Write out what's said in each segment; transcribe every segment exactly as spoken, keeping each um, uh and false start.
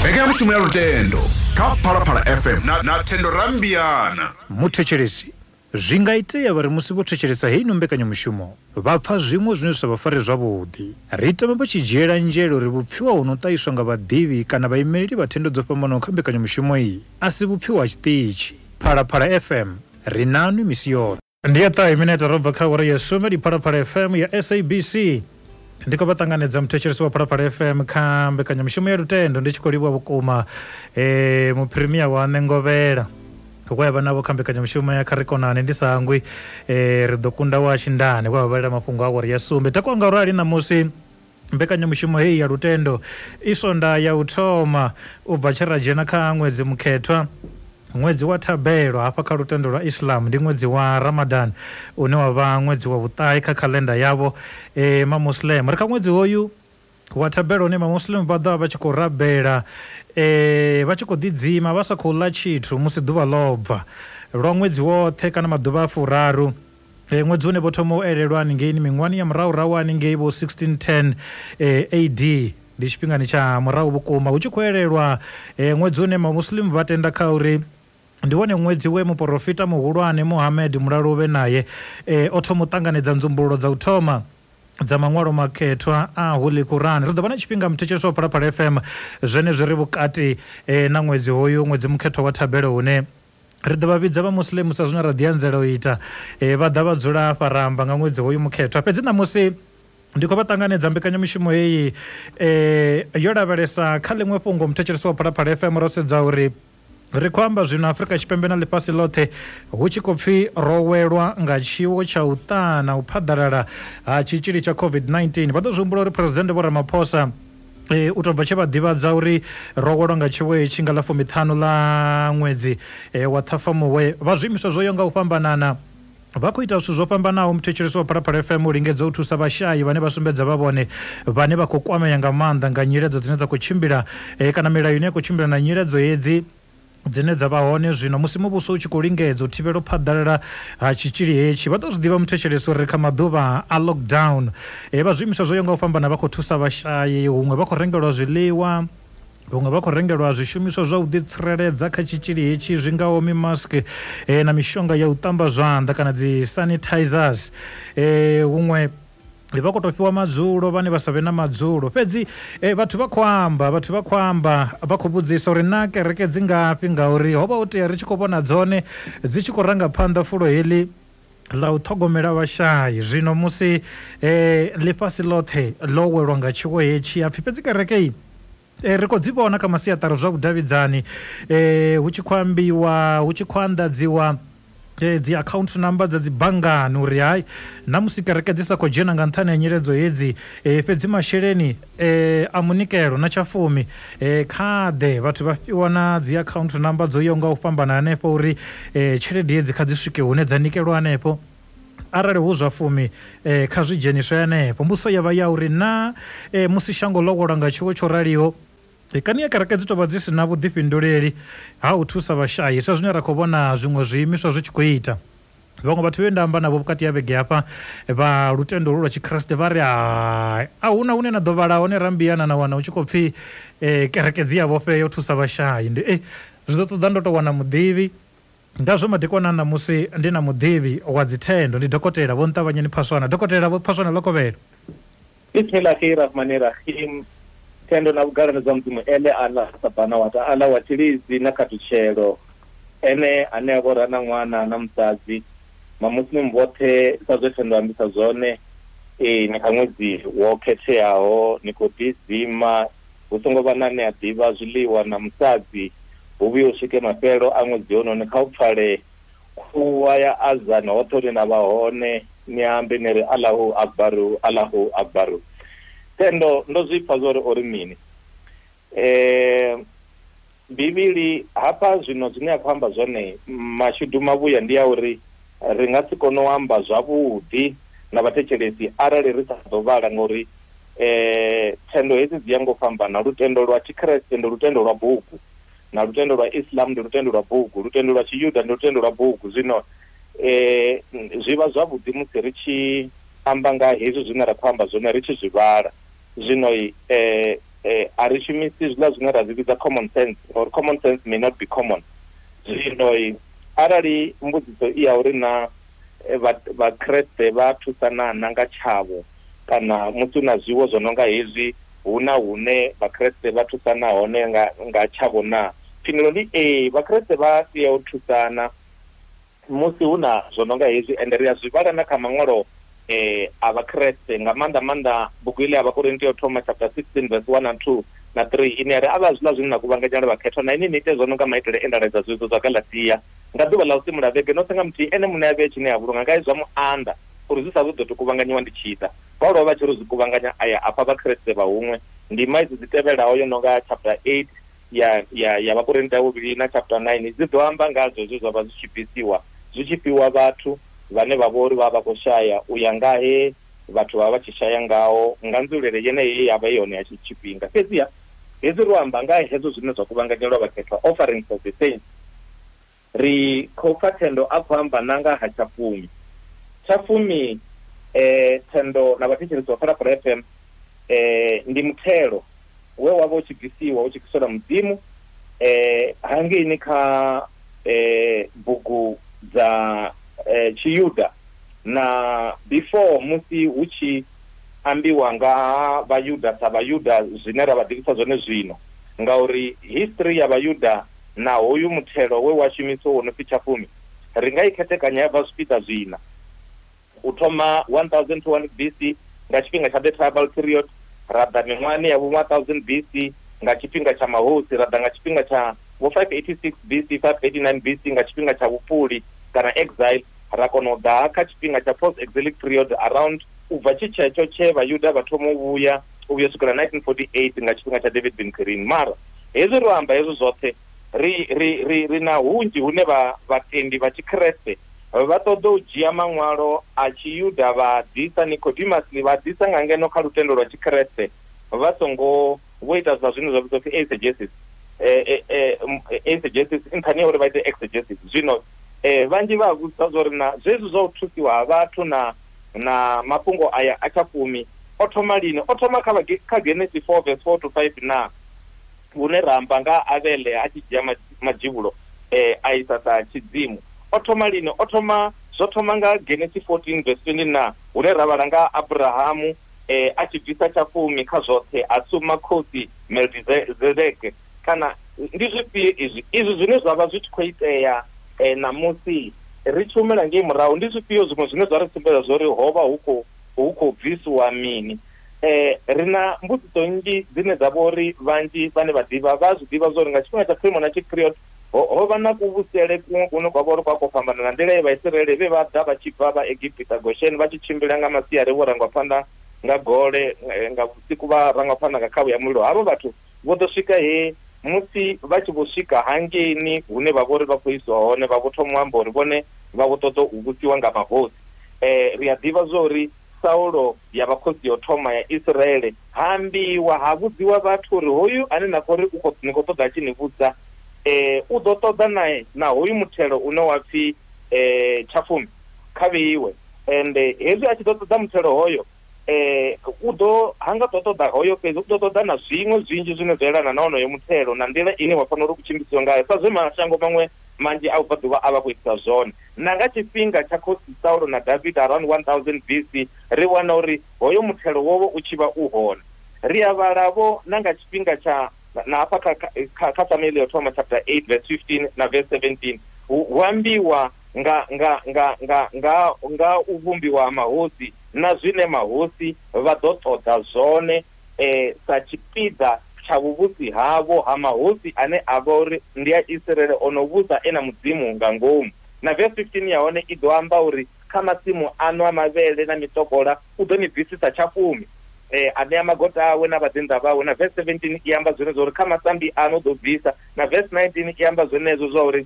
Mbekanyamushumo ya Lutendo kha Phalaphala F M na, na Thendo Rambiana. Muthetshelesi, zwi nga itea vhari musi vho thetshelesa heino mbekanyamushumo vha pfa zwiṅwe zwine zwa sa vha fare zwavhuḓi. Ri tama vha tshi dzhiela nzhele uri vhupfiwa hu no ṱahiswa nga vhaḓivhi kana vhaimeleli vha thendo dzo fhambanaho kha mbekanyamushumo iyi a si vhupfiwa ha tshiṱitshi. Phalaphala F M, ri nanwi misi yoṱhe. Ndi ya ṱahe minete ro bva kha awara ya sumbe, ndi Phalaphala F M ya S A B C. Ndi khou vha ṱanganedza muthetshelesi wa Phalaphala F M kha mbekanyamushumo ya Lutendo. Ndi tshi khou livhuwa vhukuma eh, muphirimia wa Ṋengovhela we vha navho kha mbekanyamushumo ya Kha Ri Konane. Ndi sa hangwi eh, ri ḓo kunda wa Tshindane we vha vhalela mafhungo a awara ya sumbe. Takuwa nga urali ṋamusi mbekanyamushumo heyi ya Lutendo i sonda ya u thoma u bva tshe ra dzhena kha ṅwedzi mukhethwa, ṅwedzi wa thabelo hafha kha lutendo lwa Islam ndi ṅwedzi wa Ramadan une wa vha ṅwedzi wa vhuṱahe kha khalenda yavho e, mamuslim. Ri kha ṅwedzi hoyu wa thabelo une mamuslim vha ḓo vha tshi khou rabela e, vha tshi khou ḓidzima vha sa khou ḽa tshithu musi ḓuvha ḽo bva lwa ṅwedzi woṱhe kana maḓuvha a furaru. E, ṅwedzi une vho thoma u elelwa haningei miṅwahani ya murahurahu haningei vho sixteen ten e, A D, ndi tshifhingani tsha murahu vhukuma hu tshi khou elelwa e, ṅwedzi une mamuslim vha tenda kha uri ndi wone ṅwedzi we muporofita muhulwane Muhammad mulalo uvhe naye e, o thoma u ṱanganedza nzumbululo dza u thoma dza maṅwalo makhethwa a Holy Quran. Ri ḓo vha na tshifhinga muthetshelesi wa Phalaphala F M zwenezwi ri vhukati e, na ṅwedzi hoyu ṅwedzi mukhethwa wa thabelo hune ri ḓo vha vhidza vha muslimu sa zwine ra ḓi anzela u ita e, vha ḓa vha dzula hafha ra amba nga ṅwedzi hoyu mukhethwa. Fhedzi ṋamusi ndi khou vha ṱanganedza mbekanyamushumo heyi e, yo lavhelesa kha ḽiṅwe fhungo muthetshelesi wa Phalaphala F M. Ro sedza uri ri khou amba zwino Afrika Tshipembe na ḽifhasi ḽoṱhe hu tshi khou pfi ro welwa nga tshiwo tsha u ṱana u phaḓalala ha tshitzhili tsha COVID nineteen. Vha ḓo zwi humbula uri President Vho Ramaphosa e, u tou bva tshe vha ḓivhadza uri ro welwa nga tshiwo hetshi nga ḽa fumiṱhanu ḽa ṅwedzi e, wa Ṱhafamuhwe, vha zwiimiswa zwo yaho nga u fhambanana vha khou ita zwithu zwo fhambanaho. Muthetshelesi wa Phalaphala F M u lingedza u thusa vhashayi vhane vha sumbedza vha vhone vhane vha khou kwamea nga maanḓa nga nyiledzo dzine dza khou tshimbila e, kana milayo ine ya khou tshimbila na nyiledzo hedzi dzine dza vha hone zwino musi muvhuso u tshi khou lingedza u thivhela u phaḓalala ha tshitzhili hetshi. Vha ḓo zwi ḓivha muthetshelesi uri kha maḓuvha a lockdown e, vha zwiimiswa zwo yaho nga u fhambana vha khou thusa vhashayi, huṅwe vha khou rengelwa zwiḽiwa, huṅwe vha khou rengelwa zwishumiswa zwa u ḓitsireledza kha tshitzhili hetshi zwi ngaho mimask e, na mishonga ya u ṱamba zwanḓa kana dzi sanitizers, e, huṅwe vha khou tou fhiwa madzulo vhane vha sa vhe na madzulo. Fhedzi e, vhathu vha khou amba vhathu vha khou amba vha khou vhudzisa uri na kereke dzi ngafhi, ngauri ho vha ho tea ri tshi khou vhona dzone dzi tshi khou ranga phanḓa fulo heḽi ḽa u ṱhogomela vhashayi. Zwino musi e, ḽifhasi ḽoṱhe ḽo welwa nga tshiwo hetshi hapfi fhedzi kereke iyi e, ri khou dzi vhona kha masiaṱari zwa vhudavhidzani e, hu tshi khou ambiwa hu tshi khou anḓadziwa dzi account number dza dzi banngani uri hai na musi kereke dzi sa khou dzhena nga nṱhani ha nyiledzo hedzi e, fhedzi masheleni e, a munikelo na tshafumi e, kha ḓe vhathu vha fhiwa na dzi account number dzo yaho nga u fhambana hanefho uri e, tshelede hedzi kha dzi swike hune dza nikelwa hanefho, arali hu zwa fumi e, kha zwi dzheniswe hanefho. Mbuso ya vha ya uri na e, musi shango ḽo welwa nga tshiwo tsho raliho kani ya kereke dzi tovha dzi si na vhuḓifhinduleli ha u thusa vhashayi sa zwine ra khou vhona zwiṅwe zwiimiswa zwi tshi khou ita. Vhaṅwe vhathu vhe nda amba navho vhukati ha vhege hafha vha lutendo lwa Tshikriste vha ri a huna hune na ḓo vhala hone Rambiana na wana hu tshi khou pfi e, kereke dzi ya vhofhea u thusa vhashayi. Ndi e, zwi ḓo ṱoḓa ndo tou wana muḓivhi ngazwo madekwana ṋamusi ndi na muḓivhi wa dzithendo, ndi dokotela Vho Nṱavhanyeni Phaswana. Dokotela Vho Phaswana, ḽo kovhela. Bismillahirrahmanirrahim. Thendo na vhugalani zwa Mudzimu ene Allah subhanahu wa ta'ala wa tshilidzi na khathutshelo, ene ane a vhora na ṅwana na musadzi mamuslimu vhoṱhe sa zwe Thendo ambisa zwone e, ni kha ṅwedzi wo khetheaho ni khou ḓidzima hu songo vha na ane a ḓivha zwiḽiwa na musadzi hu vhuye u swike mafhelo a ṅwedzi hononi. Kha u pfale khuwa ya azan hoṱhe hune na vha hone ni ambe ni ri Allahu Akbaru, Allahu Akbaru. Thendo ndo zwi pfa zwo uri ori mini eh Bivhili hafha zwino zwine a khou amba zwone mashudu mavhuya ndi ya uri ri nga si kone u amba zwavhuḓi na vhathetshelesi arali ri sa ḓo vhala, ngori eh thendo hedzi dzi ya ngo fhambana. Lutendo lwa Tshikriste ndi lutendo lwa bugu, na lutendo lwa Islam ndi lutendo lwa bugu, lutendo lwa Tshiyuda ndi lutendo lwa bugu. Zwino eh zwi vha zwavhuḓi musi ri tshi amba nga hezwi zwine ra khou amba zwone ri tshi zwi vhala. Zwino eh eh, a ri shumisi zwiḽa zwine ra zwi vhidza common sense, or common sense may not be common. Zwino arali mbudziso i ya uri na Vhakreste vha thusana na nga tshavho kana musi na zwiwo zwo no nga hezwi hu na hune Vhakreste vha thusana hone nga nga tshavho na, phindulo ndi ee, Vhakreste vha tea u thusana musi hu na zwo no nga hezwi. Ende ri a zwi vhala na kha maṅwalo eh a Vhakreste, nga maanḓa maanḓa bugu ile ya Vhakorinto yo thoma chapter sixteen verse one and two na three, ine ya ri a vha zwiḽa zwine na kuvhanganyela vhakhethwa na ini ni ite zwo no nga maitele e nda laedza zwizwo zwa Galatia nga ḓuvha ḽa u simula vhege noṱhe nga muthihi, ene muṋe a vhee tshine a vhulunga nga zwa muanḓa uri zwi sa ḓo tou kuvhanganyiwa ndi tshi ḓa. Paulo vha tshi ri zwi kuvhanganya aya afha Vhakreste vha huṅwe. Ndima idzi dzi tevhelaho yo no nga chapter eight ya ya ya Vhakorinto ya vhuvhili na chapter nine dzi ḓo amba nga zwezwo zwa vha zwi tshi bvisiwa zwi tshi fhiwa vhathu vhane vha vho uri vha vha khou shaya u ya nga he vhathu vha vha tshi shaya ngaho nga nzulele yeneyi ya vha yone ya tshifhinga. Fhedziha hezwi ro amba nga hezwo zwine zwa kuvhanganyelwa vhakhethwa, offerings of the saints, ri khou pfa Thendo a khou amba na nga ha tshafumi. Tshafumi eh, Thendo na vhathetshelesi vha Phalaphala F M eh, ndi muthelo we wa vha u tshi bvisiwa u tshi bviselwa Mudzimu eh, hangeini kha eh, bugu dza eh, Tshiyuda na before musi hu tshi ambiwa nga Vhayuda sa Vhayuda zwine ra vha ḓivhisa zwone zwino, ngauri history ya Vhayuda na hoyu muthelo we wa shumiswa wo no pfi tshafumi ri nga i khethekanya ya bva zwipiḓa zwina. U thoma one thousand two hundred B C nga tshifhinga tsha the tribal period, ra ḓa miṅwahani ya vho one thousand B C nga tshifhinga tsha mahosi, ra ḓa nga tshifhinga tsha vho five eighty-six B C, five eighty-nine B C nga tshifhinga tsha vhupuli kana exile, ra kona u ḓa kha tshifhinga tsha post exilic period around u bva tshi tshetsho tshe Vhayuda vha thoma u vhuya u vhuya swikela nineteen forty-eight nga tshifhinga tsha David Ben Gurion. Mara hezwi ro amba hezwo zwoṱhe ri ri ri ri na hunzhi hune vha vhatendi vha Tshikreste vha ṱoḓa u dzhia maṅwalo a Tshiyuda vha ḓisa Nicodemus vha ḓisa nga ngeno kha lutendo lwa Tshikreste vha songo vho ita zwa zwine zwa vhidzwa pfi exegesis, eh eh exegesis nṱhani ya uri vha ite exegesis. Zwino eh vhanzhi vha vhudza zwa uri na zwezwi zwa u thusiwa ha vhathu na na mafhungo aya a tshafumi o thoma lini? O thoma kha kha Genesis four verse four to five na hune ra amba nga Abele a tshi dzhia madzhivhulo eh a isa sa tshidzimu. O thoma lini? O thoma zwo thoma nga Genesis fourteen verse twenty na hune ra vhala nga Abrahamu eh a tshi bvisa tshafumi kha zwoṱhe a suma khosi Melkizedeke. Kana ndi zwifhio izwi izwi zwine zwa vha zwi tshi khou itea eh namusi ri tshi humela ngei murahu? Ndi zwifhio zwiṅwe zwine zwa ri sumbedza zwori ho vha hu khou hu khou bvisiwa mini? Eh ri na mbudziso nnzhi dzine dza vha uri vhanzhi vhane vha ḓivha vha zwi ḓivha zwori nga tshifhinga tsha pre-monarchic period ho vha na kuvhusele kuṅwe kune kwa vha uri kwa khou fhambana na nḓila ye Vhaisiraele vhe vha ḓa vha tshi bva vha Egipita Goshen vha tshi tshimbila nga masiari vho rangwa phanḓa nga gole, nga vhusiku vha rangwa phanḓa nga khavhu ya mulilo. Havho vhathu vho ḓo swika he musi vha tshi vho swika hangeini hune vha vha uri vha khou isiwa hone vha vho thoma u amba uri vhone vha vho ṱoḓa u vhusiwa nga mahosi. Eh ri a ḓivha zwa uri Saulo ya vha khosi yo thoma ya Israele ha ambiwa ha vhudziwa vhathu uri hoyu ane na khou ri u khou ni khou ṱoḓa tshi ni vhudza eh u ḓo ṱoḓa nae na hoyu muthelo une wa pfi eh tshafumi kha vheiwe, ende hezwi a tshi ḓo ṱoḓa muthelo hoyo eh u ḓo hanga ḓo ṱoḓa hoyo fhedzi u ḓo ṱoḓa na zwiṅwe zwinzhi zwine zwa elana na onoyo muthelo na nḓila ine wa fanela uri u tshimbisiwe ngayo sa zwe mashango maṅwe manzhi a vhubvaḓuvha a vha khou itisa zwone. Na nga tshifhinga tsha khosi Saulo na David around one thousand B C ri wana uri hoyo muthelo wowo u tshi vha u hone. Ri a vhalavho na nga tshifhinga tsha na hafha kha kha kha Samuel yo thoma chapter eight verse fifteen na verse seventeen hu ambiwa nga nga nga nga nga nga u vhumbiwa ha mahosi na zwine mahosi vha ḓo ṱoḓa zwone eh sa tshipiḓa tsha vhuvhusi havho ha mahosi ane a vha uri ndi a Israele ono vhusa e na Mudzimu nga ngomu. Na verse fifteen ya hone i ḓo amba uri kha masimu ano a mavhele na miṱokola u ḓo ni bvisisa tshafumi eh a ṋea magota awe na vhaḓinḓa vhawe. Na verse seventeen i amba zwenezwo uri kha masambi ano ḓo bvisa. Na verse nineteen i amba zwenezwo zwa uri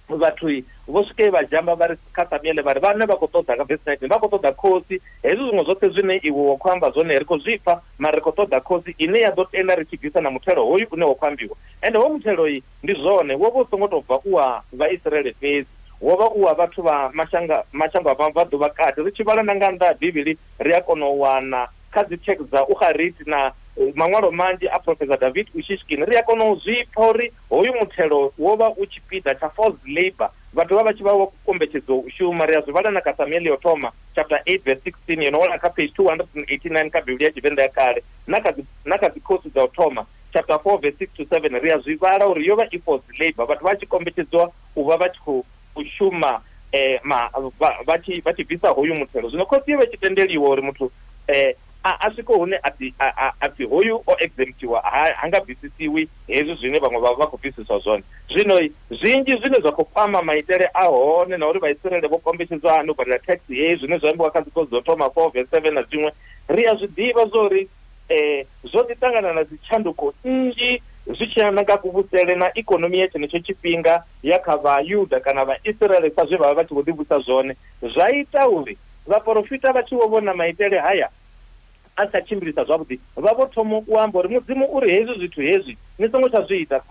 vhathu vho swike vha dzhamba vha ri kha Samuele vha ri vhane vha khou ṱoḓa nga verse nineteen vha khou ṱoḓa khosi, hezwi zwiṅwe zwoṱhe zwine iwe wa khou amba zwone ri khou zwi pfa mara ri khou ṱoḓa khosi ine ya ḓo tenda ri tshi bvisa na muthelo hoyu une wa khou ambiwa. Ende ho muthelo iyi ndi zwone wo vha u songo tou bva u wa Vhaisiraele fhedzi, wo vha u wa vhathu vha mashanga mashango a mabvaḓuvha kati. Ri tshi vhala na nga nnḓa ha Bivhili ri a kona u wana kha dzi text dza Ugarit na maṅwalo manzhi a Professor David Ushishkin, ri a kona u zwi pfa uri hoyu muthelo wo vha u tshipiḓa tsha forced labor, vhathu vha vha tshi vha vho kombetshedzwa u shuma. Ri a zwi vhala na kha Samuel yo thoma chapter eight verse sixteen, yo no wana kha page two hundred eighty-nine kha Bivhili ya Tshivenḓa ya kale, na kha na kha dzikhosi dza u thoma chapter four verse six to seven, ri a zwi vhala uri yo vha i forced labor, vhathu vha tshi kombetshedzwa u vha vha tshi khou shuma eh ma vha tshi vha tshi bvisa hoyu muthelo. Zwino khosi yo vha tshi tendeliwa uri muthu eh a a swike hune a pfi a pfi hoyu o exemptiwa, ha nga bvisisiwi hezwi zwine vhaṅwe vha vha khou bvisiswa zwone. Zwino zwinzhi zwine zwa khou kwama maitele a hone na uri Vhaisiraele vho kombetshedzwa hani u badela tax heyi, zwine zwa ambiwa kha dzikhosi dzo thoma four verse seven na zwiṅwe, ri a zwi ḓivha zwo uri eh zwo ḓi ṱangana na dzitshanduko nnzhi zwi tshi yelana nga kuvhusele na ikonomi ya tshenetsho tshifhinga ya kha Vhayuda kana Vhaisiraele sa zwe vha vha vha tshi vho ḓivhusa zwone. Zwa ita uri vhaporofita vha tshi vho vhona maitele haya a sa tshimbilisa zwavhuḓi, vha vho thoma u amba uri Mudzimu uri hezwi zwithu hezwi ni songo tsha zwi ita.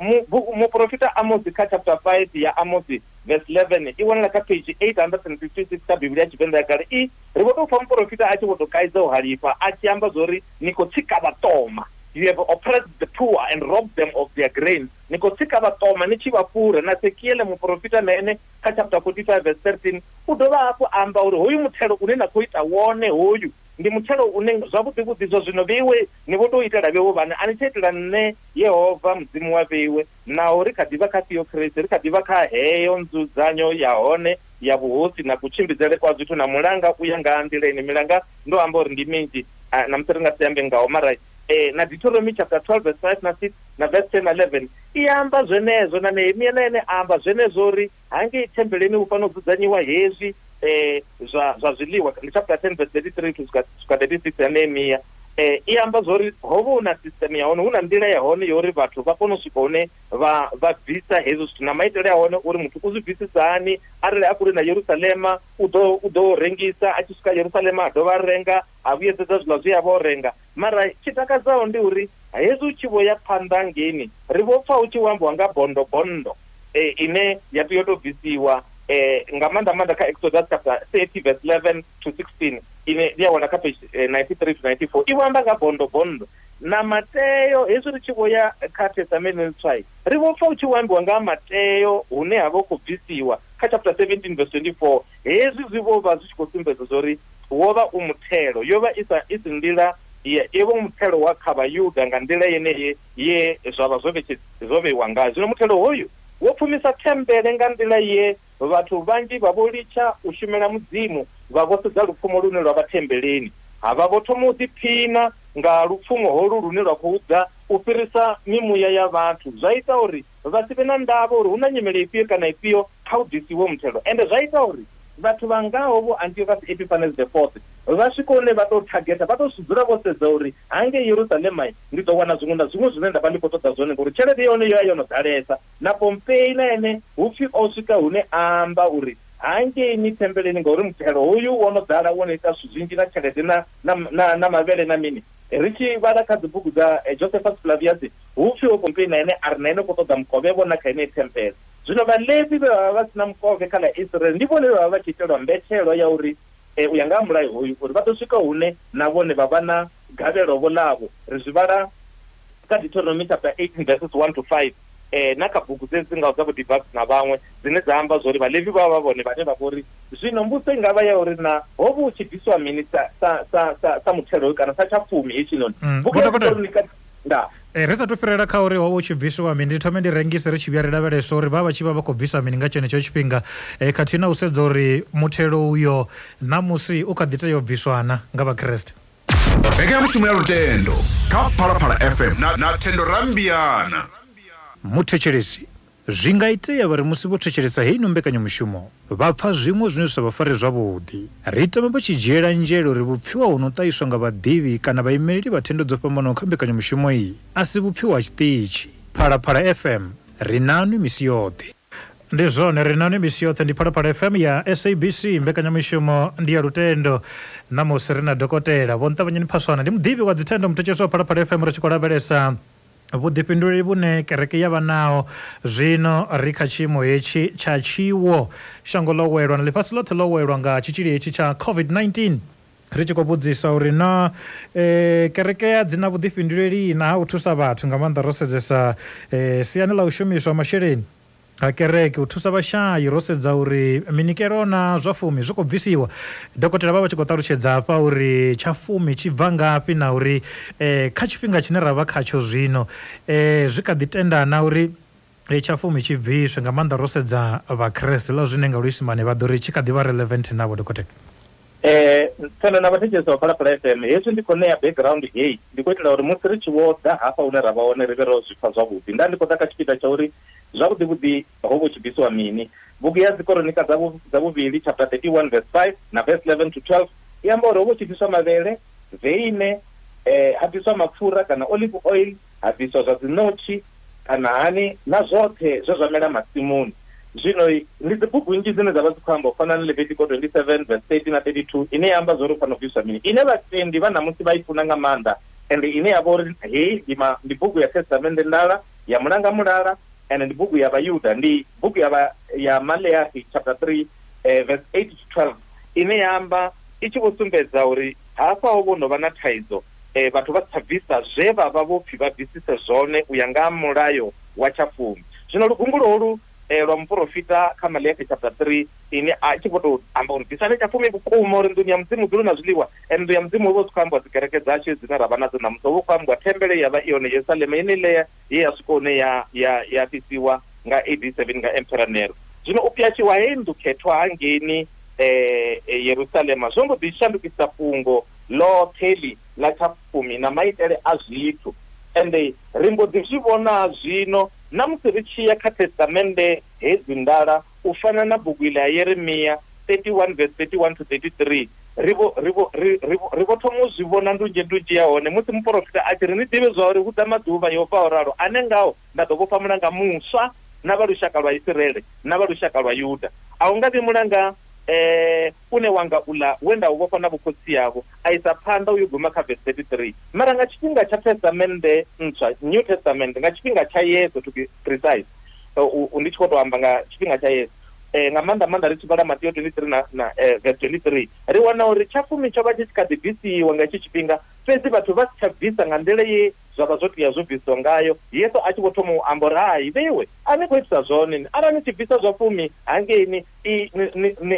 Muporofita Amosi kha chapter five ya Amosi verse eleven i wanala kha page eight hundred fifty-six kha Bivhili ya Tshivenḓa ya kale. I ri vho tou pfa muporofita a tshi vho tou kaidza u halifha a tshi amba zwori ni khou tsika vhaṱoma, you have oppressed the poor and robbed them of their grain, ni khou tsika vhaṱoma ni tshi vha fhura. Na Sekiele muporofita na ene kha chapter forty-five verse thirteen u dovha hafhu amba uri hoyu muthelo une na khou ita wone hoyu ndi muthelo une zwavhuḓi vhuḓi zwa zwino vheiwe ni vho tou itela vheiwe vhane a ni tsha itela nṋe Yehova Mudzimu wa vheiwe. Naho ri kha ḓivha kha theocracy, ri kha ḓivha kha heyo nzudzanyo ya hone ya vhuhosi na kutshimbidzele kwa zwithu na mulanga u ya nga nḓila ine milanga ndo amba uri ndi minzhi na musi ri nga si ambe ngaho, mara eh na Deuteronomy chapter twelve verse five na six na verse ten na eleven i amba zwenezwo, na Nehemia na ene amba zwenezwo uri hangei thembeleni hu fanela u dzudzanyiwa hezwi eh zwa zwa zwiḽiwa, ndi chapter ten verse thirty-three to swika thirty-six ya Nehemia. Eh i amba zwori ho vha hu na system ya hone, hu na nḓila ya hone yo uri vhathu vha kone u swika hune vha vha bvisa hezwo zwithu na maitele a hone uri muthu u zwi bvisisa hani. Arali a kule na Yerusalema u ḓo u ḓo rengisa, a tshi swika Yerusalema a dovha a renga, a vhuyedzedza zwiḽa zwe a vha o renga. Mara tshi takadzaho ndi uri hezwi u tshi vho ya phanḓa ngeini ri vho pfa hu tshi ambiwa nga bondo bondo eh ine ya tea u tou bvisiwa eh nga maanḓa maanḓa kha Exodus chapter thirty verse eleven to sixteen ine ndi ya wana kha page ninety-three to ninety-four, i amba nga bondo bondo. Na Mateo hezwi ri tshi vho ya kha Testamente Ntswa ri vho pfa hu tshi ambiwa nga Mateo hune ha vha khou bvisiwa kha chapter seventeen verse twenty-four. Hezwi zwi vho vha zwi tshi khou sumbedza zwori wo vha u muthelo, yo vha isa i si nḓila ye i vho muthelo wa kha Vhayuda nga nḓila yeneyi ye zwa vha zwo zwo vheiwa ngayo. Zwino muthelo hoyu wo pfumisa thembele nga nḓila ye vhathu vhanzhi vha vho litsha u shumela Mudzimu, vha vho sedza lupfumo lune lwa vha thembeleni, ha vha vho thoma u ḓiphina nga lupfumo holu lune lwa khou ḓa u fhirisa mimuya ya vhathu. Zwa ita uri vha si vhe na ndavha uri hu na nyimele ifhio kana ifhio kha u ḓisiwe muthelo, ende zwa ita uri vhathu vha ngaho vho Antiochus Epiphanes the fourth vha swike hune vha tou targeta, vha tou dzula vho sedza uri hangei Yerusalema ndi ḓo wana zwiṅwe na zwiṅwe zwine nda vha ndi khou ṱoḓa zwone, ngori tshelede yone yo ya yo no ḓalesa. Na Pompei na ene hu pfi o swika hune a amba uri hangeini thembeleni ngauri muthelo hoyu wo no ḓala wo no ita zwithu zwinzhi na tshelede na na na mavhele na mini. Ri tshi vhala kha dzibugu dza Josephus Flavius hu pfi o Pompei na ene a ri na ene khou ṱoḓa mukovhe vhona kha ine thembele. Zwino Vhalevi vhe vha vha sina mukovhe kha ḽa Israel ndi vhone vhe vha vha tshi itelwa mbetshelo ya uri u ya nga ha mulayo hoyu uri vha ḓo swika hune na vhone vha vha na gavhelo vho ḽavho. Ri zwi vhala kha Deuteronomy chapter eighteen verses one to five eh na kha bugu dze dzi ngaho dza vho Divas na vhaṅwe dzine dza amba zwori Vhalevi vha vha vhone vhane vha vhori zwino mbudzo i ngavha ya uri na ho vha hu tshi bviswa mini sa sa sa sa, sa muthelo kana sa tshapfumi hetshinoni. Bugu ya nda eh ri sa to fhirela kha uri ho vha hu tshi bviswa mini, ndi thome ndi rengise ri tshi vhuya ri lavhelesa uri vha vha tshi vha vha khou bvisa mini nga tshenetsho tshifhinga, eh khathihi na u sedza uri muthelo uyo ṋamusi u kha ḓi tea u bviswana nga Vhakriste. Mbekanyamushumo ya Lutendo kha Phalaphala F M na, na Thendo Rambiana. Muthetshelesi, zwi nga itea vha ri musi vho thetshelesa heino mbekanyamushumo vha pfa zwiṅwe zwine zwa sa vha fare zwavhuḓi. Ri tama vha tshi dzhiela nzhele uri vhupfiwa hu no ṱahiswa nga vhaḓivhi kana vhaimeleli vha thendo dzo fhambanaho kha mbekanyamushumo iyi a si vhupfiwa ha tshiṱitshi. Phalaphala F M, ri nanwi misi yoṱhe. Ndi zwone, ri nanwi misi yoṱhe. Ndi Phalaphala F M ya S A B C, mbekanyamushumo ndi ya Lutendo. Ṋamusi ri na dokotela Vho Nṱavhanyeni Phaswana, ndi muḓivhi wa dzithendo, muthetshelesi wa Phalaphala F M. Ri tshi khou lavhelesa vhuḓifhinduleli vhune kereke ya vha naho zwino ri kha tshiimo hetshi tsha tshiwo, shango ḽo welwa na ḽifhasi ḽoṱhe ḽo welwa nga tshitzhili hetshi tsha COVID nineteen. Ri tshi khou vhudzisa uri na eh, kereke ya dzina vhuḓifhinduleli na ha u thusa vhathu nga maanḓa ro sedzesa eh, siani ḽa u shumiswa masheleni ha kereke u thusa vhashayi, ro sedza uri minikelo na zwa fumi zwi khou bvisiwa. Dokotela vha vha tshi khou ṱalutshedza hafha uri tsha fumi tshi bva ngafhi na uri eh, kha tshifhinga tshine ra vha khatsho zwino eh, zwi kha ḓi tendana uri tsha fumi tshi bviswe, nga maanḓa ro sedza vhakreste ḽa zwine nga luisimane vha ḓo ri tshi kha ḓi vha relevant navho. Dokotela. Eh Thendo na vhathetshelesi vha Phalaphala F M, hezwi ndi khou ṋea background heyi ndi khou itela uri musi ri tshi vho ḓa hafha hune ra vha hone ri vhe ro zwi pfa zwavhuḓi. Nda ndi khou ḓa kha tshipiḓa tsha uri zwavhuḓi vhuḓi ho vho tshi bvisiwa mini. Bugu ya Dzikoronika dza vhuvhili chapter thirty-one verse five na verse eleven to twelve i amba uri ho vho tshi bviswa mavhele, veine, eh ha bviswa mapfura kana olive oil, ha bviswa zwa dzinotshi kana hani na zwoṱhe zwe zwa mela masimuni. Zwino ndi dzibugu nnzhi dzine dza vha dzi khou amba u fana na Leviticus twenty-seven verse thirty na thirty-two ine ya amba zwa uri u fanela u bviswa mini, ine vhatendi vha ṋamusi vha i funa nga maanḓa, ende ine ya vha uri heyi ndi bugu ya Testamente Ndala ya Mulanga Mulala, ende ndi bugu ya Vhayuda, ndi bugu ya vha ya Maleachi chapter three eh, verse eight to twelve ine ya amba i tshi vho sumbedza uri hafha ho vho no vha na thaidzo, eh, vhathu vha si tsha bvisa zwe vha vha vho pfhi vha bvisise zwone u ya nga mulayo wa tshafumi. Zwino lugungulo holu eh, lwa muporofita kha Maleachi chapter three ine a tshi khou tou amba uri bvisani tshafumi vhukuma uri nḓuni ya Mudzimu dzule na zwiḽiwa. Nnḓu ya Mudzimu hu vha hu khou ambiwa dzikereke dzashu dzine ra vha nadzo ṋamusi, hu vha hu khou ambiwa thembele ya vha i hone Yerusalema yeneiḽa ye ya swika hune ya ya ya fhisiwa nga A D seven nga Emperor Nero. Zwino u pyatshiwa heyi nnḓu khethwa hangeini eh, Yerusalema zwo mbo ḓi shandukisa fhungo ḽoṱhe ḽi ḽa tshafumi na maitele a zwithu. Ende ri mbo ḓi zwi vhona zwino na musi ri tshi ya kha Testamente hedzi ndala u fana na bugu iḽa ya Yeremia thirty-one verse thirty-one to thirty-three, ri vho ri vho ri vho thoma u zwi vhona ndunzhe ndunzhe ya hone musi muporofita a tshi ri ni ḓivhe zwa uri hu ḓa maḓuvha Yehova o ralo ane ngao nda ḓo vhofha mulanga muswa na vha lushaka lwa Isiraele na vha lushaka lwa Yuda. A hu nga vhi mulanga eh une wanga ula we nda u vhofha na vhokhotsi yavho, a isa phanḓa uyo guma kha verse thirty-three. Mara nga tshifhinga tsha Testamente ntswa, New Testament, nga tshifhinga tsha Yesu to be precise, ndi tshi khou tou amba nga tshifhinga tsha Yesu, eh nga maanḓa maanḓa ri tshi vhala Mateo twenty-three na, na eh, verse twenty-three, ri wana uri tshafumi tsho vha tshi kha ḓi bvisiwa nga hetsho tshifhinga, fhedzi vhathu vha si tsha bvisa nga nḓila ye zwa vha zwo tea zwo bvisiwa ngayo. Yesu a tshi vho thoma u amba uri hai vheiwe a ni khou itisa zwone, arali ni tshi bvisa zwa fumi hangeini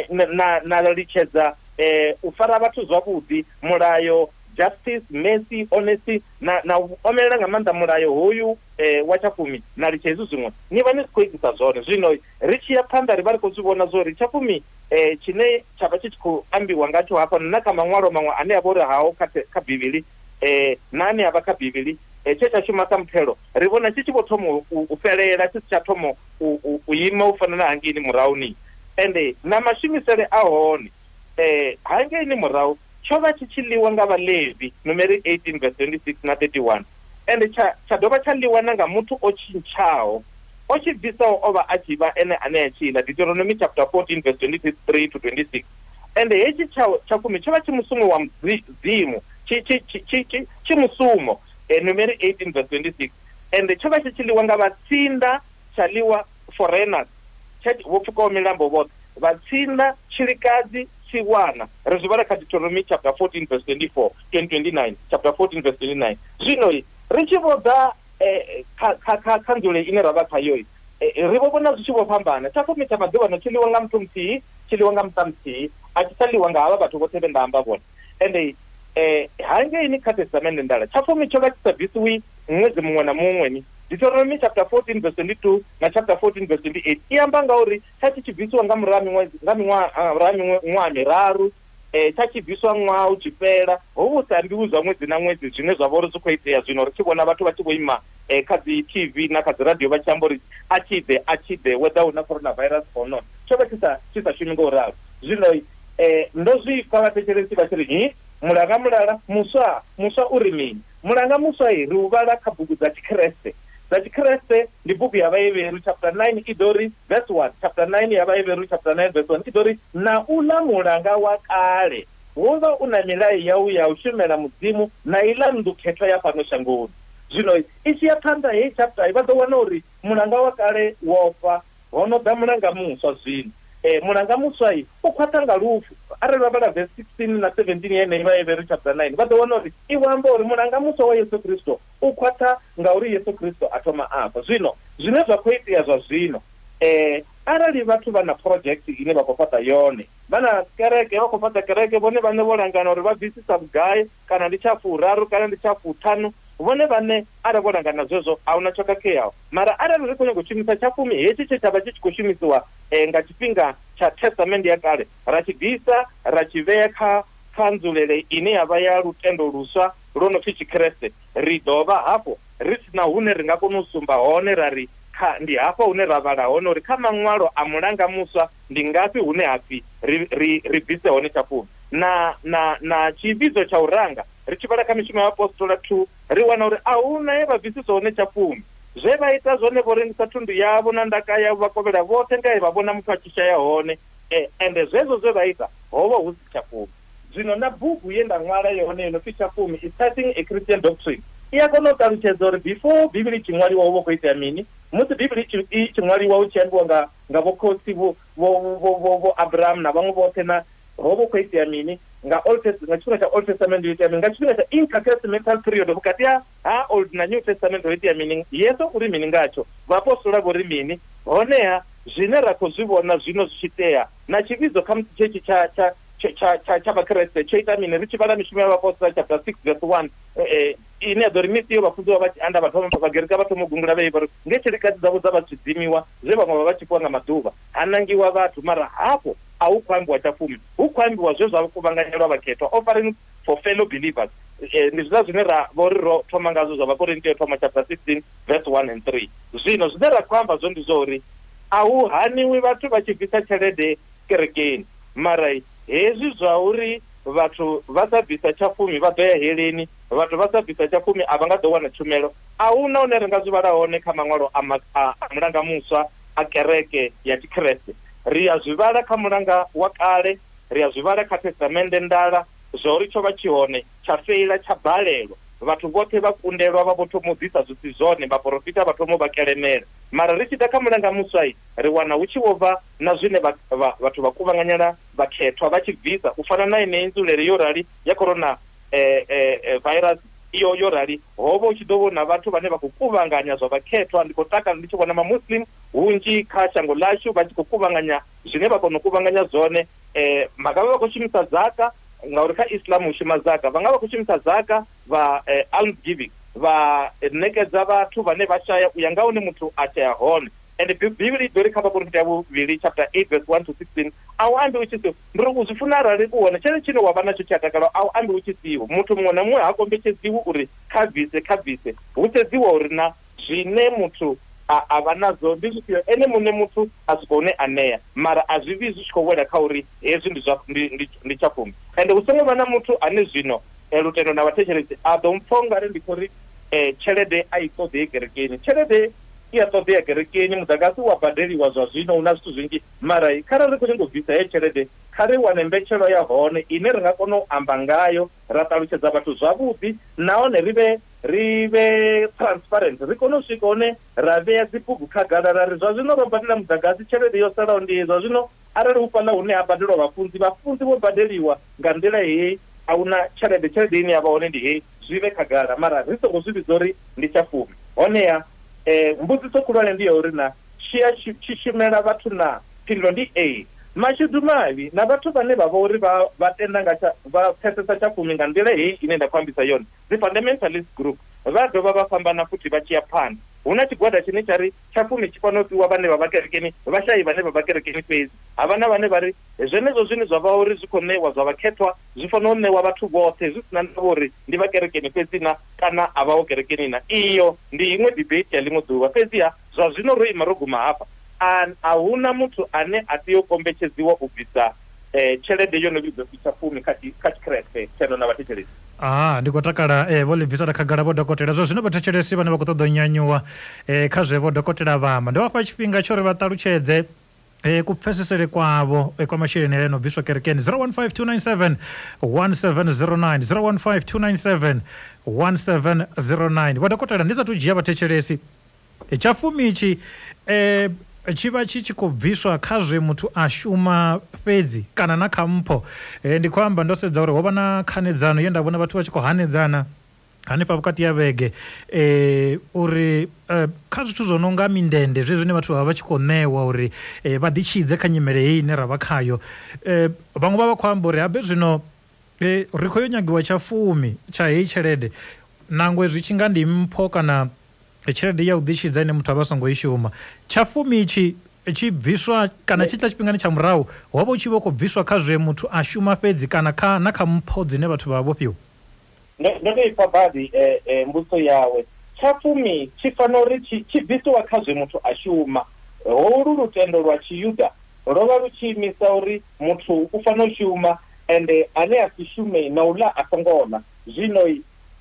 na na litshedza eh, u fara vhathu zwavhuḓi, mulayo, justice, mercy, honesty, na na u omelela nga maanḓa mulayo hoyu eh, wa tshafumi na litsha hezwi zwiṅwe, ni vha ni si khou itisa zwone. Zwino ri tshi ya phanḓa ri vha ri khou zwi vhona zwo ri tshafumi eh, tshine tsha vha tshi tshi khou ambiwa ngatsho hafha na kha maṅwalo maṅwe ane a vha uri hao kha kha Bivhili eh, na ane a vha kha Bivhili eh, tshe tsha shuma sa muthelo ri vhona tshi tshi vho thoma u fhelela, tshi si tsha thoma u ima u fana na hangeini murahuni. Ende na mashumisele a hone eh, hangeini murahu tsho vha tshi tshi ḽiwa nga Vhalevi, Numeri eighteen verse twenty-six na thirty-one, ende tsha tsha dovha tsha ḽiwa na nga muthu o tshintshaho, o tshi bvisaho o vha a tshi vha ene ane a tshila, Deuteronomy chapter fourteen verse twenty-three to twenty-six. Ende hetshi tsha tshafumi tsho vha tshi musumo wa Mudzimu, tshi tshi tshi tshi tshi musumo, Numeri eighteen verse twenty-six. Ende tsho vha tshi tshi ḽiwa nga vhatsinda, tsha ḽiwa foreigners, tsha vho pfukaho milambo vhoṱhe, vhatsinda, tshilikadzi, tsiwana. Ri zwi vhala kha Deuteronomy chapter fourteen verse twenty-four, twenty-nine, chapter fourteen verse twenty-nine. Zwino ri tshi vho ḓa kha kha kha nzule ine ra vha khayo, ri vho vhona zwi tshi vho fhambana. Tshafumi tsha maḓuvhano tshi ḽiwa nga muthu muthihi, tshi ḽiwa nga muṱa muthihi, a tshi tsha ḽiwa nga havha vhathu vhoṱhe vhe nda amba vhone. Ende eh hangeini kha Testamente Ndala tshafumi tsho vha tshi sa bvisiwi ṅwedzi muṅwe na muṅwe ni. Deuteronomy chapter fourteen verse twenty-two na chapter fourteen verse twenty-eight i amba nga uri tsha tshi tshi bvisiwa nga murahu miṅwedzi nga miṅwaha miṅwaha miraru, eh tsha tshi bviswa ṅwaha u tshi fhela, ho vhu sa ambiwi zwa ṅwedzi na ṅwedzi zwine zwa vha uri zwi khou itea zwino. Ri tshi vhona vhathu vha tshi vho ima eh, kha dzi T V na kha dzi radio vha tshi amba uri a tshi ḓe a tshi ḓe whether hu na coronavirus or not, tsho vha tshi sa tshi sa shumi nga u ralo. Zwino eh, ndo zwi pfa vhathetshelesi vha tshi ri hi mulanga mulala muswa muswa uri mini? Mulanga muswa i ri u vhala kha bugu dza Tshikreste. Dza Tshikreste ndi bugu ya Vhaheberu chapter nine i ḓo ri verse one, chapter nine ya Vhaheberu chapter nine verse one i ḓo ri na uḽa mulanga wa kale wo vha u na milayo yau ya u shumela Mudzimu na iḽa nnḓu khethwa ya fhano shangoni. Zwino i tshi ya phanḓa heyi chapter vha ḓo wana uri mulanga wa kale wo fa, ho no ḓa mulanga muswa zwino. Eh, mulanga muswa u khwaṱha nga lufu. Arali vha vhala verse sixteen na seventeen yeneyi vha Heberu chapter nine vha ḓo wana uri i amba uri mulanga muswa wa Yesu Kristo u khwaṱha ngauri Yesu Kristo a thoma afha. Zwino zwine zwa khou itea zwa zwino, eh, arali vhathu vha na project ine vha khou fhaṱa yone, vha na kereke vha khou fhaṱa kereke, vhone vhane vho langana uri vha bvisisa vhugai, kana ndi tsha furaru kana ndi tsha fuṱhanu, vhone vhane arali vho langana zwezwo a huna tsho khakheaho. Mara arali ri khou nyanga u shumisa tshafumi hetshi tshe tsha vha tshi tshi khou shumisiwa eh, nga tshifhinga tsha testament ya kale, ra tshi bvisa ra tshi vhea kha kha nzulele ine ya vha ya lutendo luswa lwo no pfi Tshikreste, ri dovha hafhu ri sina hune ri nga kona u sumba hone ra ri kha ndi hafha hune ra vhala hone uri kha maṅwalo a mulanga muswa ndi ngafhi hune hapfi ri ri ri bvise hone tshafumi. Na na na tshivhidzo tsha u ranga ri tshi vhala kha mishumo ya Apostola two ri wana uri a huna ye vha bvisisa hone tshafumi. Zwe vha ita zwone vho rengisa thundu yavho na ndaka yavho vha kovhela vhoṱhe nga vha vhona muthu a tshi shaya hone, eh, ende zwezwo zwe vha ita ho vha hu si tshafumi. Zwino na bugu ye nda ṅwala yone yo no pfi Tshafumi is Starting a Christian Doctrine i a kona u ṱalutshedza uri before Bivhili i tshi ṅwaliwa hu vha khou itea mini, musi Bivhili i tshi ṅwaliwa hu tshi ambiwa nga nga vhokhotsi vho vho vho vho Abraham na vhaṅwe vhoṱhe, na ho vha khou itea mini nga Old Testament, nga tshifhinga tsha Old Testament ho itea mini, nga tshifhinga tsha intertestamental period vhukati ha Old na New Testament ho itea mini, Yesu uri mini ngatsho, vhaapostola vho ri mini. Honeha zwine ra khou zwi vhona zwino zwi tshi itea na tshivhidzo kha musi tshetshe tsha tsha tsha tsha tsha Vhakreste tsho ita mini. Ri tshi vhala mishumo ya vhaapostola chapter six verse one eh, ine ya ḓo ri misi yo vhafunziwa vha tshi anda vha thoma Vhagerika vha thoma u gungula vha uri nge tshilikadzi dzavho dza vha tshidzimiwa zwe vhaṅwe vha vha tshi fhiwa nga maḓuvha ha nangiwa vhathu. Mara hafho a hu khou ambiwa tshafumi, hu khou ambiwa zwe zwa kuvhanganyelwa vhakhethwa, offering for fellow believers. Eh, ndi zwiḽa zwine ra vha uri ro thoma ngazwo zwa Vhakorinte yo thoma chapter sixteen verse one and three. Zwino zwine ra khou amba zwone ndi zwa uri a hu haniwi vhathu vha tshi bvisa tshelede kerekeni, mara hezwi zwa uri vhathu vha sa bvisa tshafumi vha ḓo ya heleni, vhathu vha sa bvisa tshafumi a vha nga ḓo wana tshumelo, a huna hune ri nga zwi vhala hone kha maṅwalo a, a, a mulanga muswa a kereke ya Tshikreste. Ri a zwi vhala kha mulanga wa kale, ri a zwi vhala kha testamende ndala, zwa uri tsho vha tshi hone tsha feila tsha balelwa, vhathu vhoṱhe vha kundelwa vha vho thoma u ḓisa zwi si zwone, vhaporofita vha thoma u vha kelemela. Mara ri tshi ḓa kha mulanga muswa ri wana hu tshi vho bva na zwine vhathu vha kuvhanganyela vhakhethwa vha tshi bvisa, u fana na yeneyi nzulele yo rali ya corona eh, eh, virus iyo yo rali, ho vha hu tshi ḓo vhona vhathu vhane vha khou kuvhanganya zwa vhakhethwa. Ndi khou takala ndi tshi vhona mamuslim hunzhi kha shango ḽashu vha tshi khou kuvhanganya zwine vha kona u kuvhanganya zwone. Eh, vha vha khou shumisa zaka, ngauri kha Islam hu shuma zaka, vha nga vha khou shumisa zaka vha eh, alms giving, vha ṋekedza vhathu vhane vha shaya u ya nga hune muthu a shaya hone. And Bivhili i ḓo ri kha Vhakorinte ya vhuvhili chapter eight verse one to sixteen a u ambi u tshi siho, ndi uri u zwi funa arali u hone tshelede tshine wa vha natsho tshi a takala, a u ambi u tshi siho. Muthu muṅwe na muṅwe ha kombetshedziwi uri kha bvise kha bvise, hu sedziwa uri na zwine muthu a, a vha nadzo ndi zwifhio, ene muṋe muthu a swika hune a ṋea, mara a zwi vhi zwi tshi khou wela kha uri hezwi ndi zwa ndi ndi tshafumi. Ende hu songo vha na muthu ane zwino lutendo na vhathetshelesi a ḓo mpfa ungari ndi khou ri eh, tshelede a i ṱoḓei kerekeni. Tshelede i a ṱoḓea kerekeni, muḓagasi wa badeliwa zwa zwino, hu na zwithu zwinzhi, mara kharali ri khou nyanga u bvisa heyo tshelede kha ri wane mbetshelo ya hone ine ri nga kona u amba ngayo ra ṱalutshedza vhathu zwavhuḓi, nahone ri vhe ri vhe transparent, ri kone u swika hone ra vhea dzibugu khagala ra ri zwa zwino ro badela muḓagasi, tshelede yo salaho ndi zwa zwino. Arali hu fhaḽa hune ha badelwa vhafunzi, vhafunzi vho badeliwa nga nḓila heyi, a huna tshelede, tshelede ine ya vha hone ndi heyi, zwi vhe khagala, mara ri songo zwi vhidza uri ndi tshafumi. Honeha eh, mbudziso khulwane ndi ya uri na tshi tshi shumela vhathu na, phindulo ndi ee. Mashudu mavhi na vhathu vhane vha vha uri vha vha tenda nga vha pfesesa tshafumi nga nḓila heyi ine nda khou ambisa yone, dzi fundamentalist group vha dovha vha fhambana futhi vha tshi ya phanḓa. Hu na tshigwada tshine tsha ri tshafumi tshi fanela u fhiwa vhane vha vha kerekeni, vhashayi vhane vha vha kerekeni fhedzi. Ha vha na vhane vha ri zwenezwo zwine zwa vha uri zwi khou ṋewa zwa vhakhethwa zwi fanela u ṋewa vhathu vhoṱhe zwi sina ndavha uri ndi vha kerekeni fhedzi na kana a vhaho kerekeni na. Iyo ndi iṅwe debate ya ḽiṅwe ḓuvha, fhedziha zwa zwino ro ima ro guma hafha. A huna muthu ane a tea u kombetshedziwa u bvisa eh, tshelede yo no vhidzwa tshafumi kha kha Tshikreste tsheno na vhathetshelesi. Ah, ndi khou takala eh, vho ḽi bvisela khagala vho dokotela. Zwa zwino vhathetshelesi vhane vha khou ṱoḓa u nyanyuwa eh, kha zwe vho dokotela vha amba, ndi vha fha tshifhinga tsho uri vha ṱalutshedze eh, kupfesesele kwavho eh, kwa masheleni ane no bviswa kerekeni. Zero one five two nine seven one seven zero nine, zero one five two nine seven one seven zero nine. Vho dokotela, ndi sathu dzhia vhathetshelesi, tshafumi itshi eh, tshi vha tshi tshi khou bviswa kha zwe muthu a shuma fhedzi kana na kha mpho. E, ndi khou amba ndo sedza uri ho vha na khanedzano ye nda vhona vhathu vha tshi khou hanedzana hanefha vhukati ya vhege e, uri e, kha zwithu zwo no nga mindende zwe zwine vhathu vha vha tshi khou ṋewa uri e, vha ḓitshidze kha nyimele heyi ine ra vha khayo. E, vhaṅwe vha vha khou amba uri habe zwino e, ri khou yo nyagiwa tsha fumi tsha heyi tshelede nangwe zwi tshi nga ndi mpho kana tshelede ya u ḓitshidza ine muthu a vha songo i shuma. Tsha fumi itshi tshi bviswa kana tshi tla tshifhingani tsha murahu ho vha u tshi vho khou bviswa kha zwe muthu a shuma fhedzi kana kha na kha mpho dzine vhathu vha vha vho fhiwa. Ndo tou ipfa badi mbudziso yawe. Tsha fumi tshi fanela uri tshi bvisiwa kha zwe muthu a shuma. Holu lutendo lwa Tshiyuda lwo vha lu tshi imisa uri muthu u fanela u shuma ende ane a si shume na u ḽa a songo ḽa. Zwino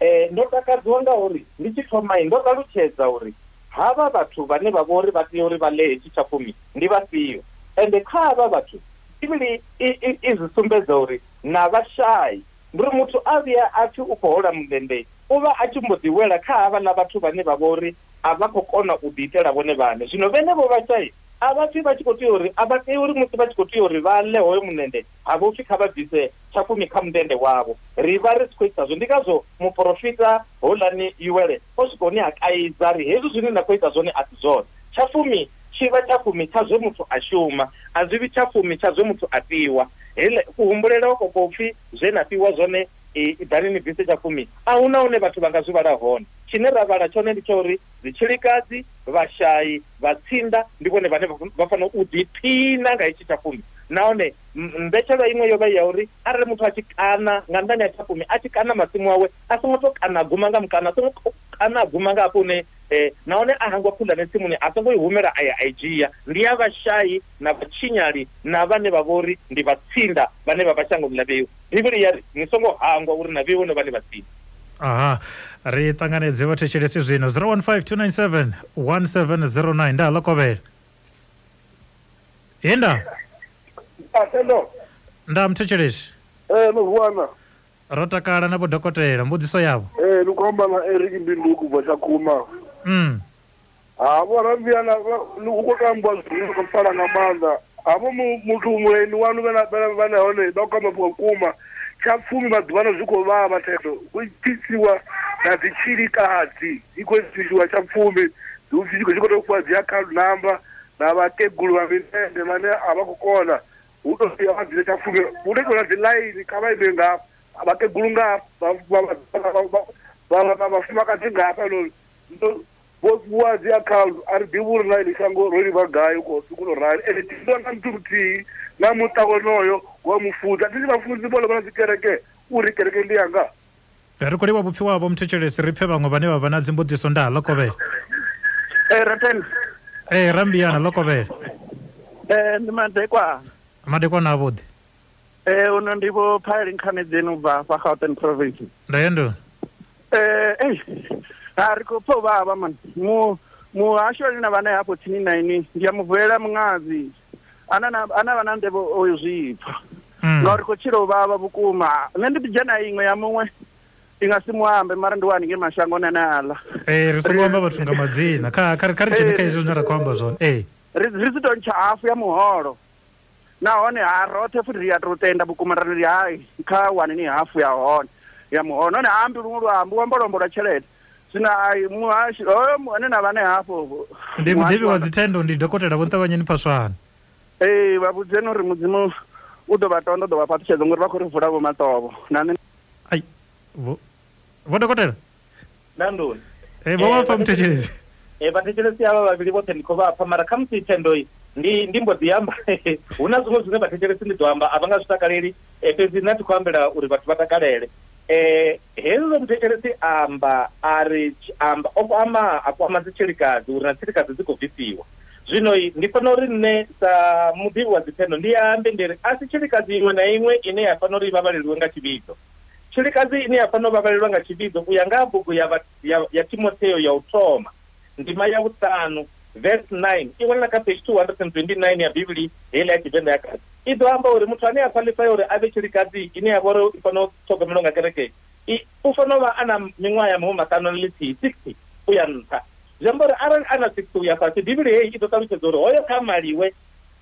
eh ndo takadziwa nga uri ndi tshi thoma ndo ṱalutshedza uri havha vhathu vhane vha vhori vha tea uri vha ḽe hetshi tsha fumi ndi vhafhio, ende kha havha vhathu Bivhili i zwi sumbedza uri na vhashai. Ndi uri muthu a vhuya a pfi u khou hola mundende u vha a tshi mbo ḓi wela kha havhaḽa vhathu vhane vha vhori a vha khou kona u ḓi itela vhone vhaṋe. Zwino vhenevho vhashai a vha pfi vha tshi khou tea uri a vha tei uri musi vha tshi khou tea uri vha ḽe hoyo mundende ha vho pfi kha vha bvise tshafumi kha mundende wavho. Ri vha ri si khou ita zwo. Ndi ngazwo muporofita houḽani Yuwele o swika hune a kaidza ri hezwi zwine nda khou ita zwone a si zwone. Tshafumi tshi vha tshafumi tsha zwe muthu a shuma, a zwi vhi tshafumi tsha zwe muthu a fhiwa. Hele kuhumbulele ko ko pfi zwe na fhiwa zwone i ḓani ni bvise tshafumi a huna hune vhathu vha nga zwi vhala hone. Tshine ra vhala tshone ndi tsha uri dzitshilikadzi, vhashai, vhatsinda ndi vhone vhane vha fanela u ḓiphina nga itshi tshafumi. Nahone mbetshelwa iṅwe yo vha ya uri arali muthu a tshi kana nga nḓani ya tshafumi a tshi kana masimu awe a songo to kana guma nga mukana, a songo kana guma nga hafho hune eh nahone a hangwa khulwane tsimuni a songo i humela a ya a i dzhia. Ndi ya vhashai na vhatshinyali na vhane vha vhori ndi vhatsinda vhane vha vha shangoni ḽa vheiwa. Bivhili ya ri ni songo hangwa uri na vheiwa no vha ni vhatsinda. Aha, ri ṱanganedze vhathetshelesi zwino zero one five two nine seven one seven zero nine. Nda ḽo kovhela. Yenda. Atendo. Nda mthetshelesi. Eh no vuana. Ro takala na vho dokotela mbudziso yavho. Eh lu khomba na Eric Mbinduku bva Tshakhuma. Mm. Ha vho rambiana lu khou tambwa zwino kho pfala nga maanḓa. Havho muthu muleni wanu vhana vhana hone vha khou amba vhukuma. Tsha fumi maḓuvhano zwi khou vhavha thendo hu pfisiwa na dzitshilikadzi i khou pfisiwa tsha fumi hu pfi zwi khou tou fhiwa dzi account number na vhakegulu vha mindende vhane a vha khou kona hu tou fhiwa vha dzile tsha fumi hu tou ita dzi line kha vha ime ngafha vhakegulu ngafha vha vhafumakadzi ngafha no vho fhiwa dzi account a ri ḓivhi uri na iḽi shango ro livha gai ko tou rali. Ende thi na muthu muthihi na muṱa wonoyo wa mufunzi a thi vhafunzi vhone vha na dzi kereke uri kereke ndi yanga. Ri khou livha vhupfi wavho muthetshelesi ri pfe vhaṅwe vhane vha vha na dzimbudziso. Nda ḽo kovhela. Eh Raten. Eh Rambiana ḽo kovhela. Eh ndi madekwana. Madekwana avhuḓi. Eh uno ndi vho Phaeli Nkhanedzeni u bva afha Gauteng province. Nda yendo. Eh eh a ri khou pfa vhavha man mu muhasho ane na vhane hafho tsini na ini ndi ya muvulela muṅadzi ana na ana vha na nḓevho o zwi pfa ngauri khou tshila u vhavha vhukuma. Nṋe ndi ḓi dzhena iṅwe ya muṅwe i nga si muambe mara ndi wani nge mashangoni ane aḽa. Eh ri songo amba vhathu nga madzina kha kha kha ri dzhene kha izwo zwine ra khou amba zwone. Eh ri ri si to ntsha hafu ya muholo nahone ha roṱhe futhi ri a tou tenda vhukuma ra ri hai kha wani ni hafu ya hone ya muholo. Nahone ha ambi luṅwe luambo u amba luambo lwa tshelede. Zwino ai muhashi hoyo ane na vhane hafho ndi muḓivhi wa dzithendo ndi dokotela Vho Nṱavhanyeni Phaswana. Ee vha vhudzeni uri Mudzimu u ḓo vha tonda u ḓo vha fhaṱutshedza ngori vha khou ri vula vho maṱovho na nṋe. Ai vho vho dokotela nda nduni eh vho vha pfa muthetshelesi. Eh vhathetshelesi avha vhavhili vhoṱhe ndi khou vha pfa mara khamusi thendo ndi ndi mbo ḓi amba hu na zwiṅwe zwine vhathetshelesi ndi ḓo amba a vha nga zwi takaleli fhedzi nṋe thi khou ambela uri vhathu vha takalele. Eh hezwo muthetshelesi amba a ri amba o kwama a kwama dzitshilikadzi uri na tshilikadzi dzi khou bvisiwa. Zwino ndi fanela uri nṋe sa muḓivhi wa dzithendo ndi ambe ndi ri a si tshilikadzi iṅwe na iṅwe ine ya fanela uri i vhavhaleliwe nga tshivhidzo. Tshilikadzi ine ya fanela u vhavhalelwa nga tshivhidzo u ya nga bugu ya ya, ya Timotheo ya u thoma ndima ya vhuṱanu verse nine i wanala kha page two hundred and twenty-nine ya Bivhili heiḽa ya Tshivenḓa ya kale. I ḓo amba uri muthu ane a qualify uri a vhe tshilikadzi ine ya vha uri i fanela u ṱhogomelwa nga kereke u fanela u vha a na miṅwaha ya mahumi maṱanu na ḽithihi sixty u ya nṱha. Zwi amba uri arali a na sixty uya fhasi, Bivhili heyi i ḓo ṱalutshedza uri hoyo kha maliwe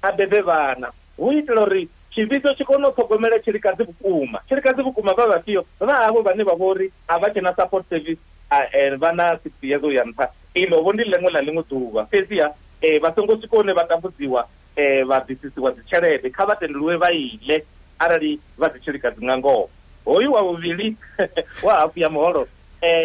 a bebe vhana, hu itela uri tshivhidzo tshi kone u ṱhogomela tshilikadzi vhukuma. Tshilikadzi vhukuma vha vhafhio? Vha havho vhane vha vhori a vha tshena support service, vha na sixty years uya nṱha. Iḽo vho ndi ḽiṅwe ḽa ḽiṅwe ḓuvha. Fhedziha vha songo swika hune vha tambudziwa vha bvisisiwa dzi tshelede, kha vha tendeliwe vha ile arali vha dzi tshilikadzi nga ngoho. Hoyu wa vhuvhili wa hafu ya muholo,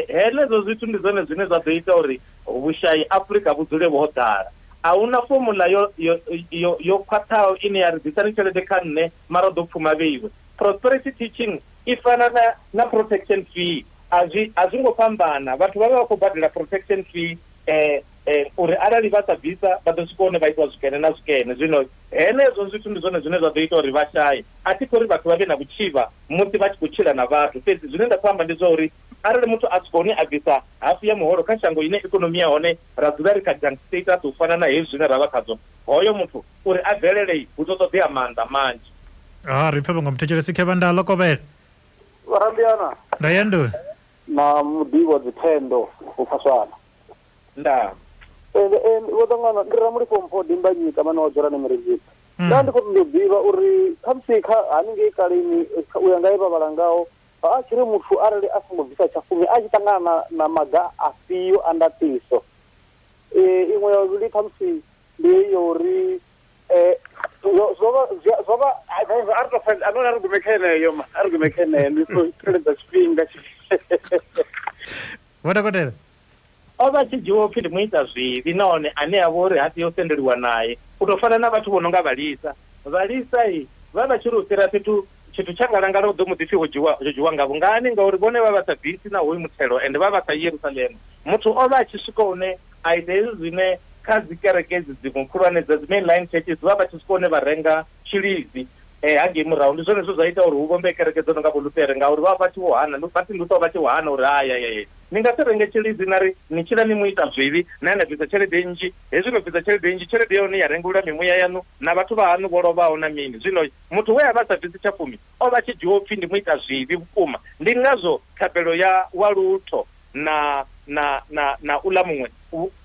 henezwo zwithu ndi zwone zwine zwa ḓo ita uri vhushayi Afrika vhu dzule vho ḓala. A huna formula yo yo yo yo khwaṱhaho ine ya ri ḓisani tshelede kha nṋe mara ḓo pfuma vheiwe. Prosperity teaching i fana na na protection fee, a zwi a zwi ngo fhambana. Vhathu vha vha vha khou badela protection fee eh eh uri arali vha sa bvisa vha ḓo swika hune vha itwa zwikene na zwikene. Zwino henezwo zwithu ndi zwone zwine zwa ḓo ita uri vha shaye. A thi khou ri vhathu vha vhe na vhutshivha musi vha tshi khou tshila na vhathu, fhedzi zwine nda khou amba ndi zwa uri arali muthu a swika hune a bvisa hafu ya muholo kha shango ine ikonomi ya hone ra dzula ri kha junk status u fana na hezwi zwine ra vha khadzo, hoyo muthu uri a bvelele hu ḓo ṱoḓea maanḓa manzhi. Ah, ri pfe vhaṅwe muthetshelesi khe vha nda ḽo kovhela. Vharambiana nda ya nduni na muḓivhi wa dzithendo u Phaswana. Nda vho ṱangana ndi Ramulifho Mpho Dimbanyika mane wa dzula Mirenzini. Nda ndi khou ṱoḓa u ḓivha uri khamusi kha haningei kaleni u ya nga he vha vhala ngaho, a tshi ri muthu arali a songo bvisa tshafumi a tshi ṱangana na maga afhio a ndaṱiso. Iṅwe ya vhuvhili khamusi ndi ya uri zwo vha zwo vha a ri tou fhedza, a ri gume kha yeneyo ma a ri gume kha yeneyo ndi khou tsireledza tshifhinga. Vho dokotela, o vha tshi dzhiwa upfhi ndi muita zwivhi nahone ane a vha uri ha tea u sendeliwa naye, u tou fana na vhathu vho no nga vhalisa. Vhalisa vha vha tshi ri u fhira fhethu tshithu tsha ngalangala u ḓo mu ḓipfi ho dzhiwa ho dzhiwa ngavho ngani, ngauri vhone vha vha sa bvisi na hoyu muthelo ende vha vha sa Yerusalema. Muthu o vha a tshi swika hune a ita hezwi zwine kha dzi kereke edzi dziṅwe khulwane dza dzi mainline churches vha vha tshi swika hune vha renga tshilidzi hangei murahu. Ndi zwone zwe zwa ita uri hu vhombe kereke dzo no nga vho Lutere, ngauri vha vha tshi vho hana, Martin Luther vha tshi vho hana uri haya ya ni nga si renge tshilidzi na ri ni tshila ni muita zwivhi na na bvisa tshelede nnzhi, hezwi no bvisa tshelede nnzhi tshelede yone ya rengulula mimuya yaṋu na vhathu vha haṋu vho lovhaho na mini. Zwino muthu we a vha sa bvisi tshafumi o vha tshi dzhiwa upfhi ndi muita zwivhi vhukuma. Ndi ngazwo thabelo ya wa lutho na na na na uḽa muṅwe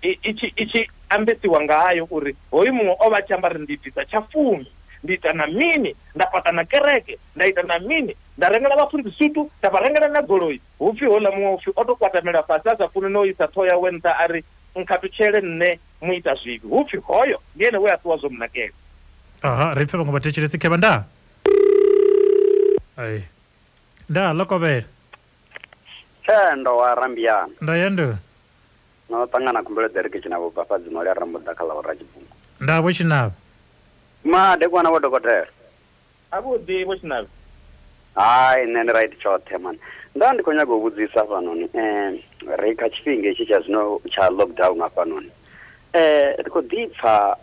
i tshi i tshi ambesiwa ngayo uri hoyu muṅwe o vha tshi amba ri ndi bvisa tshafumi, ndi ita na mini, nda fhaṱa na kereke, nda ita na mini, nda rengela vhafunzi sutu, nda vha rengela na goloi. Hupfi houḽa muṅwe upfi o to kwatamela fhasi a sa funi no isa ṱhoho yawe nṱha a ri nkhathutshele nṋe muita zwivhi. Hupfi hoyo ndi ene we a ṱuwa zwo munakela. Aha, ri pfe vhaṅwe vhathetshelesi khe vha nda. Ai. Nda ḽo kovhela. Thendo wa Rambiana. Nda ya nduni. No ṱangana khumbelo Derek Tshinavho bva fhadzi mali ya Rambuḓa kha ḽa u Ratshibungu. Nda vho Tshinavho. Madekwana vho dokotela. Avhuḓi vho Tshinavho. Hai, nṋe ndi right tshoṱhe mani. Nda ndi khou nyaga u vhudzisa hafhanoni, eh ri kha tshifhinga hetshi tsha zwino tsha lockdown hafhanoni. Eh ri khou ḓi pfa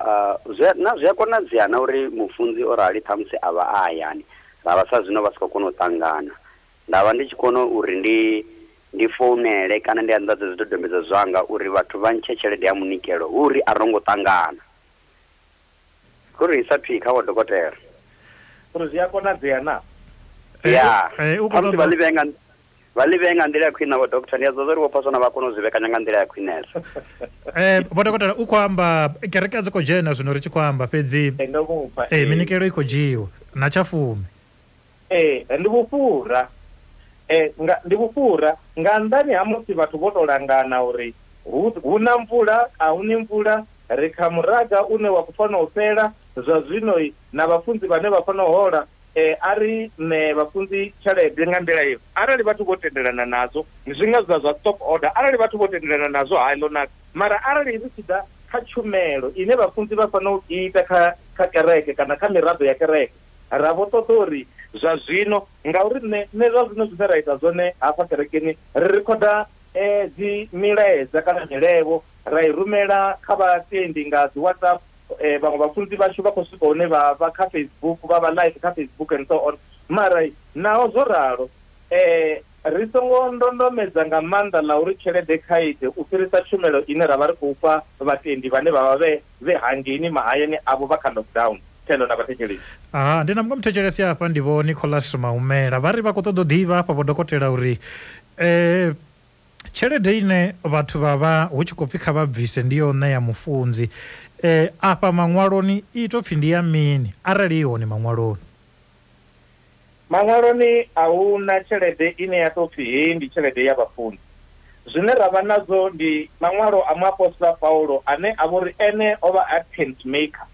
na zwi a konadzea na uri mufunzi o rali ṱhamusi a vha a hayani, ra vha sa zwino vha si khou kona u ṱangana. Nda vha ndi tshi kona uri ndi ndi founele kana ndi anḓadze zwidodombedzwa zwanga uri vhathu vha ntshe tshelede ya munikelo hu uri a ro ngo ṱangana. Kuri isa phi kha vho dokotela. Uri zwi a konadzea na? Ya. Khamusi vha ḽi vhee nga vha ḽi vhee nga nḓila ya khwine vho doctor, ndi a zwa uri vho Phaswana vha kona u zwi vhekanya nga nḓila ya khwinesa. Eh vho dokotela, u khou amba kereke a dzi khou dzhena zwino ri tshi khou amba fhedzi eh minikelo i khou dzhiwa na tshafumi. Eh ndi vhufhura. Eh nga ndi vhufhura nga nnḓani ha musi vhathu vho to langana uri hu na mvula a hu ni mvula, ri kha muraga une wa khou fanela u fhela zwa zwino na vhafunzi vhane vha fanela u hola, eh a ri ne vhafunzi tshelede nga nḓila iyo. Arali vhathu vho tendelana nazwo zwi nga zwa zwa stop order, arali vhathu vho tendelana nazwo hai ḽo naka. Mara arali ri tshi ḓa kha tshumelo ine vhafunzi vha fanela u ita kha kha kereke kana kha miraḓo ya kereke, ra vho ṱoḓa uri zwa zwino, ngauri nṋe nṋe zwa zwino zwine ra ita zwone hafha kerekeni ri rikhoda eh dzi milaedza kana milevho ra i rumela kha vhatendi nga dzi WhatsApp. Eh vhaṅwe vhafunzi vhashu vha khou swika hune vha vha kha Facebook, vha vha live kha Facebook and so on. Mara naho zwo ralo eh ri songo ndondomedza nga maanḓa ḽa uri tshelede kha ite u fhirisa tshumelo ine ra vha ri khou fha vhatendi vhane vha vha vhe vhe hangeini mahayani avho vha kha lockdown. Thendo na vhathetshelesi. Aha, ndi na muṅwe muthetshelesi hafha ndi vho Nicholas Maumela, vha ri vha khou ṱoḓa u ḓivha hafha vho dokotela uri eh Tshelede ine vhathu vha vha hu tshi khou pfi kha vha bvise ndi yo ṋea mufunzi. Eh afha maṅwaloni i to pfi ndi ya mini arali i hone maṅwaloni? Maṅwaloni a hu na tshelede ine ya tou pfi heyi ndi tshelede ya vhafunzi. Zwine ra vha nadzo ndi maṅwalo a muapostola Paulo ane a vhori ene o vha a tent maker.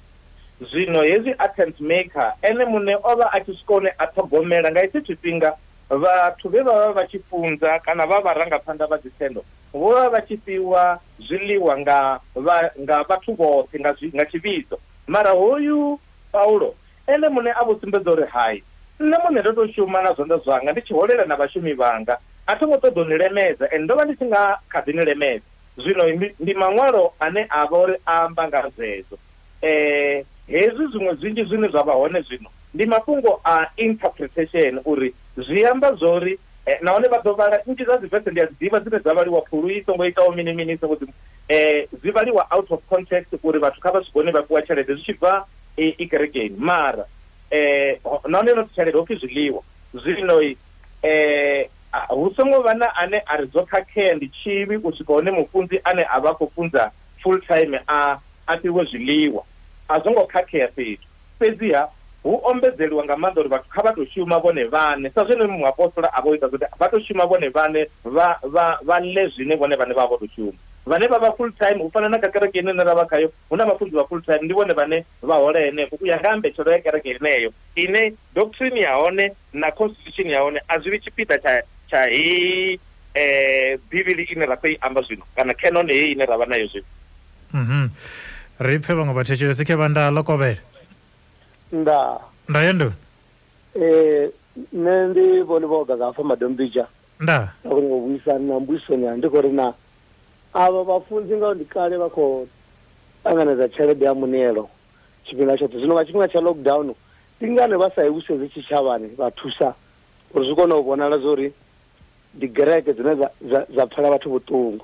Zwino hezwi a tent maker ene muṋe o vha a tshi swika hune a ṱhogomela nga hetshi tshifhinga vhathu vhe vha vha vha tshi funza kana vha vharangaphanḓa vha dzithendo vho vha vha tshi fhiwa zwiḽiwa nga vha nga vhathu vhoṱhe nga nga tshivhidzo. Mara hoyu Paulo ene muṋe a vho sumbedza uri hai, nṋe muṋe ndo to shuma na zwanḓa zwanga ndi tshi holela na vhashumi vhanga, a tho ngo ṱoḓa u ni lemedza ende ndo vha ndi tshi nga kha ḓi ni lemedza. Zwino ndi maṅwalo ane a vha uri a amba nga zwezwo. Eh hezwi zwiṅwe zwinzhi zwine zwa vha hone zwino ndi mafhungo a interpretation uri zwi amba zwori eh, nahone vha ḓo vhala nnzhi dza dzivese ndi a dzi ḓivha dzine dza vhaliwa phulu i songo itaho mini mini songo dzi eh zwi vhaliwa out of context uri vhathu kha vha zwi kone vha fhiwa tshelede zwi tshi bva i kerekeni. Mara eh nahone no tshelede ho pfi zwiḽiwa. Zwino eh hu songo vha na ane a ri zwo khakhea ndi tshivhi u swika hone mufunzi ane a vha khou funza full time a a fhiwe zwiḽiwa, a zwo ngo khakhea fhethu. Fhedziha hu ombedzeliwa nga maanḓa uri vhathu kha vha tou shuma vhone vhaṋe sa zwine muapostola a vho ita zwone, vha tou shuma vhone vhaṋe vha vha vha ḽe zwine vhone vhaṋe vha vha vho tou shuma. Vhane vha vha full time u fana na kha kereke ine ra vha khayo hu na vhafunzi vha full time ndi vhone vhane vha hola henefho u ya nga mbetshelo ya kereke yeneyo ine doctrine ya hone na constitution ya hone a zwi vhi tshipiḓa tsha tsha heyi eh Bivhili ine ra khou i amba zwino kana canon heyi ine ra vha nayo zwino. Mhm. Ri pfe vhaṅwe vhathetshelesi khe vha nda ḽo kovhela. Nda. Nda yendo. Eh nṋe ndi vhone vho gaga hafha Madombija. Nda. Nda kona u vhuisana na mbuisoni ya ndi khou ri na avha vhafunzi nga ndi kale vha khou ṱanganedza tshelede ya muṋeelo tshifhinga tshoṱhe. Zwino nga tshifhinga tsha lockdown ndi ngani vha sa i vhusedzi tshitshavhani vha thusa uri zwi kone u vhonala zwori ndi gereke dzine dza dza pfela vhathu vhuṱungu.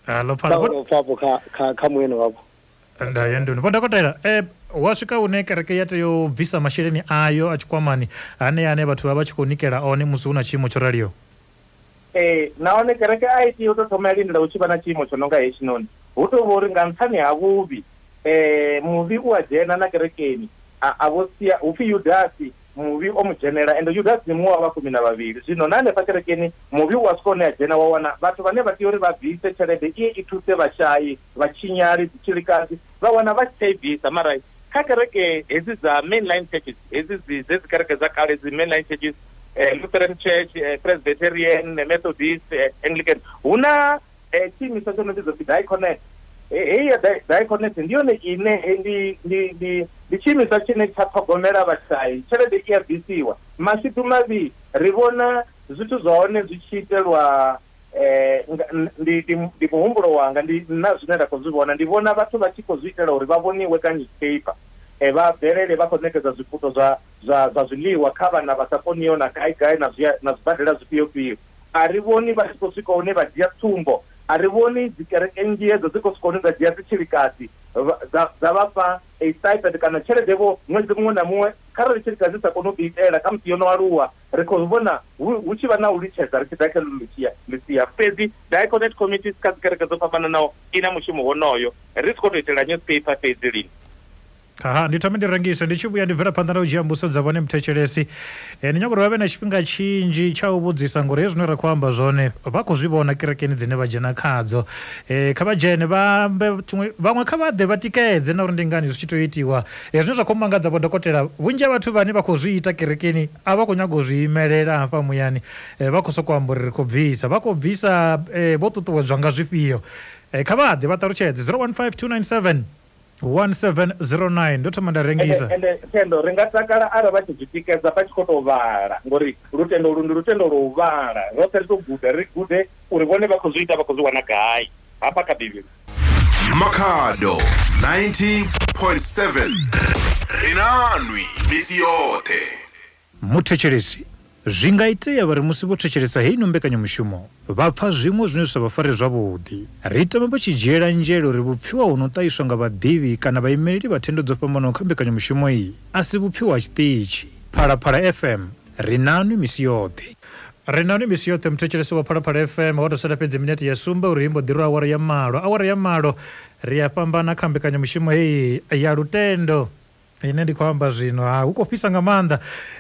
Alo pfala vho kha kha kha mueni wavho. Nda yendo. Vho dokotela eh wa swika hune kereke ya tea u bvisa masheleni ayo a tshikwamani ane ane vhathu vha vha tshi khou nikela one musi hu na tshiimo tsho raliho. Eh nahone kereke a i tea u tou thoma ya lindela hu tshi vha na tshiimo tsho no nga hetshinoni. Hu tou vha uri nga nṱhani ha vhuvhi eh muvhi u a dzhena na kerekeni a a vho sia hu pfi Yudasi muvhi o mu dzhenela ende Yudasi ndi muṅwe wa vha fumi na vhavhili. Zwino na hanefha kerekeni muvhi u a swika hune a dzhena wa wana vhathu vhane vha tea uri vha bvise tshelede iye i thuse vhashai, vhatshinyali, dzitshilikadzi vha wana vha si tsha i bvisa. Mara kha kereke hedzi dza mainline churches hedzi dzi dzi kereke dza kale dzi mainline churches eh, Lutheran Church, eh, Presbyterian, Methodist, eh, Anglican hu na eh, tshiimiswa tsho no vhidzwa pfi Diaconate. Heyi ya Diaconate ndi yone ine ndi ndi ndi ndi tshiimiswa tshine tsha ṱhogomela vhashai, tshelede i a bvisiwa. Mashudu mavhi ri vhona zwithu zwa hone zwi tshi itelwa eh ndi ndi muhumbulo wanga ndi na zwine nda khou zwi vhona ndi vhona vhathu vha tshi khou zwi itela uri vha vhoniwe kha newspaper eh vha bvelele vha khou ṋekedza zwiputo zwa zwa zwa zwiḽiwa kha vhana vha sa koniho na gai gai na zwi na zwibadela zwifhio fhio. A ri vhoni vha tshi khou swika hune vha dzhia tsumbo, a ri vhoni dzi kereke nnzhi hedzo dzi khou swika hune dza dzhia dzitshilikadzi dza dza vha fha a stipend kana tshelede vho ṅwedzi muṅwe na muṅwe kharali tshilikadzi sa koni u ḓi itela khamusi yo no aluwa. Ri khou vhona hu tshi vha na u litshedza ri tshi ḓa kha ḽisia ḽisia. Fhedzi Diaconate committees kha dzi kereke dzo fhambananaho i na mushumo wonoyo, ri si khou tou itela newspaper fhedzi lini. Aha, ndi thome ndi rengise ndi tshi vhuya ndi bvela phanḓa na u dzhia mbudziso dza vhone muthetshelesi. E, ndi nyaga uri vha vhe na tshifhinga tshinzhi tsha u vhudzisa ngori hezwi zwine ra khou amba zwone vha khou zwi vhona kerekeni dzine vha dzhena khadzo. E, kha vha dzhene vha ambe tshiṅwe, vhaṅwe kha vha ḓe vha tikedze na uri ndi ngani zwi tshi tea u itiwa. E, zwine zwa khou mangadza vho dokotela, vhunzhi ha vhathu vhane vha khou zwi ita kerekeni a vha khou nyaga u zwi imelela hafha muyani. E, vha khou sokou amba uri ri khou bvisa, vha khou bvisa e, vho ṱuṱuwedzwa nga zwifhio. E, kha vha ḓe vha ṱalutshedze zero one five two nine seven one seven zero nine. Ndo thoma nda rengisa. Ende Thendo ri nga takala arali vha tshi zwi tikedza vha tshi khou tou vhala ngori lutendo lu ndi lutendo lwo u vhala, roṱhe ri tou guda ri gude uri vhone vha khou zwi ita vha khou zwi wana gai hafha kha Bivhili. Makhado ninety point seven ri nanwi misi yoṱhe. Muthetshelesi, zwi nga itea vha ri musi vho thetshelesa heino mbekanyamushumo vha pfa zwiṅwe zwine zwi sa vha fare zwavhuḓi. Ri tama vha tshi dzhiela nzhele uri vhupfiwa hu no ṱahiswa nga vhaḓivhi kana vhaimeleli vha thendo dzo fhambanaho kha mbekanyamushumo iyi a si vhupfiwa ha tshiṱitshi. Phalaphala F M ri nanwi misi yoṱhe. Ri na ni misi yoṱhe muthetshelesi wa Phalaphala F M ho to sala fhedzi minete ya sumbe uri imbo ḓirwa awara ya malo. Awara ya malo ri a fhambana kha mbekanyamushumo heyi ya lutendo ine ndi khou amba zwino ha hu khou fhisa nga maanḓa.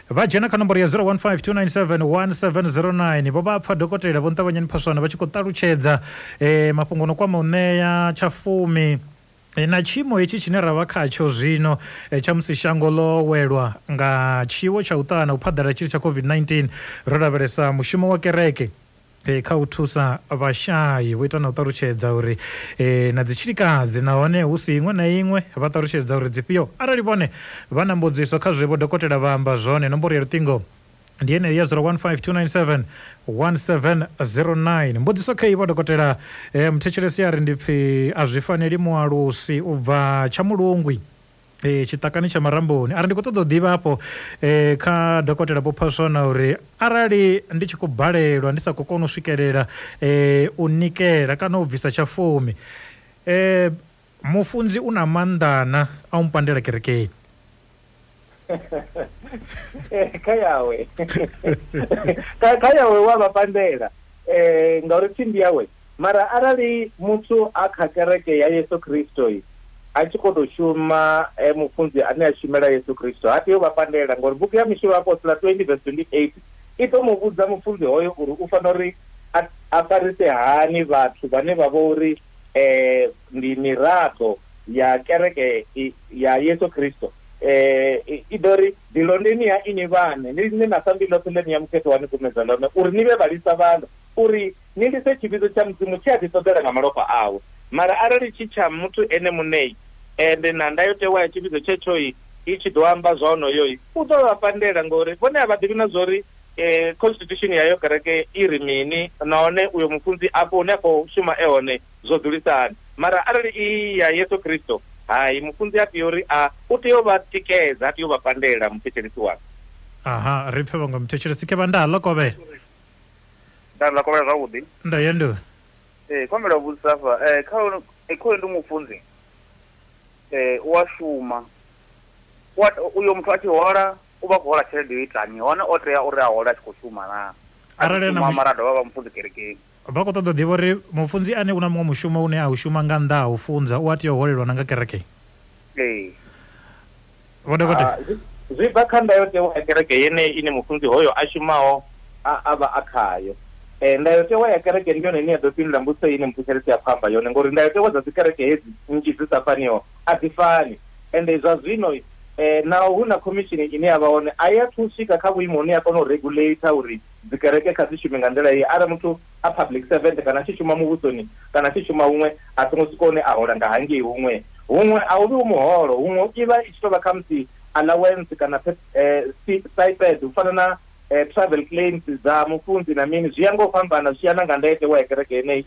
Vha dzhena kha nomboro ya zero one five two nine seven one seven zero nine vho vha pfa dokotela Vho Nṱavhanyeni Phaswana vha tshi khou ṱalutshedza eh, mafhungo no kwama u ṋea tshafumi na tshiimo hetshi tshine ra vha khatsho zwino tsha musi shango ḽo welwa nga tshiwo tsha u ṱana u phaḓalala tshitzhili tsha COVID nineteen. Ro lavhelesa mushumo wa kereke kha u thusa vhashai, vho ita na u ṱalutshedza uri na dzitshilikadzi nahone hu si iṅwe na iṅwe vha ṱalutshedza uri dzifhio arali vhone vha na mbudziso kha zwe vho dokotela vha amba zwone. Nomboro ya luṱingo ndi yeneyo ya zero one five two nine seven one seven zero nine. Mbudziso kha vho dokotela eh, muthetshelesi a ri ndi pfi a zwi faneli mualusi u bva Tshamulungwi eh, tshiṱakani tsha Maramboni. Arali ndi khou ṱoḓa u ḓivha hafho eh, kha dokotela Vho Phaswana uri arali ndi tshi khou balelwa ndi sa khou kona u swikelela eh, u nikela kana u bvisa tshafumi eh, mufunzi u na maanḓana a u mpandela kerekeni? Kha yawe kha yawe wa vha pandela eh ngauri tsimbi yawe. Mara arali muthu a kha kereke ya Yesu Kristo a tshi khou tou shuma mufunzi ane a shumela Yesu Kristo ha tei u vha pandela, ngori bugu ya Mishumo ya Apostola twenty verse twenty-eight i ḓo mu vhudza mufunzi hoyo uri u fanela uri a farise hani vhathu vhane vha vho uri eh ndi miraḓo ya kereke ya Yesu Kristo. Eh i ḓo ri ḓilondeni ya ini vhane ni line na sambi ḽoṱhe ḽine ya mukhetho wa ni kumedza ḽone uri ni vhe vhalisa vhaḽo, uri ni lise tshivhidzo tsha Mudzimu tshi a ḓi ṱoḓela nga malofha awe. Mara arali tshi tsha muthu ene muṋei ende na ndayotewa ya tshivhidzo tshetsho i tshi ḓo amba zwa onoyo u ḓo vha pandela, ngori vhone a vha ḓivhi na zwori eh constitution yayo kereke i ri mini nahone uyo mufunzi afho hune a khou shuma e hone zwo dzulisa hani. Mara arali i ya Yesu Kristo, hai, mufunzi a tea uri a u tea u vha tikedza, a tea u vha pandela muthetshelesi wanga. Aha, ri pfe vhaṅwe muthetshelesi ke vha nda ḽa kovhela. Nda ḽa kovhela zwavhuḓi. Nda ya ndo. Eh kombela vhudzisa afha eh kha kha ndi mufunzi eh u a shuma wa uyo muthu a tshi hola u vha khou hola tshelede yo itani, hone o tea uri a hola a tshi khou shuma na arali na mara dovha vha mufunzi kerekeni. Vha khou ṱoḓa ḓivha uri mufunzi ane u na muṅwe mushumo une a u shuma nga nnḓa ha u funza u a tea u holelwa na nga kereke. Ee. Vho dokotela zwi bva kha ndayotewa ya kereke yeneyi ine mufunzi hoyo a shumaho a vha a khayo. Eh ndayotewa ya kereke ndi yone ine ya ḓo fhindula mbudziso ine muthetshelesi a khou amba yone, ngori ndayotewa dza dzikereke hedzi nnzhi dzi sa faniho a dzi fani. Ende zwa zwino eh naho hu na khomishini ine ya vha hone a i athu swika kha vhuimo hune ya kona u regulate uri dzikereke kha dzi shume nga nḓila iyi. Arali muthu a public servant kana a tshi shuma muvhusoni kana a tshi shuma huṅwe a songo swika hune a hola nga hangei huṅwe huṅwe a hu vhi hu muholo, huṅwe i vha i tshi tou vha khamusi allowance kana stipend u fana na travel claims dza mufunzi na mini, zwi ya nga u fhambana zwi ya na nga ndayotewa ya kereke yeneyi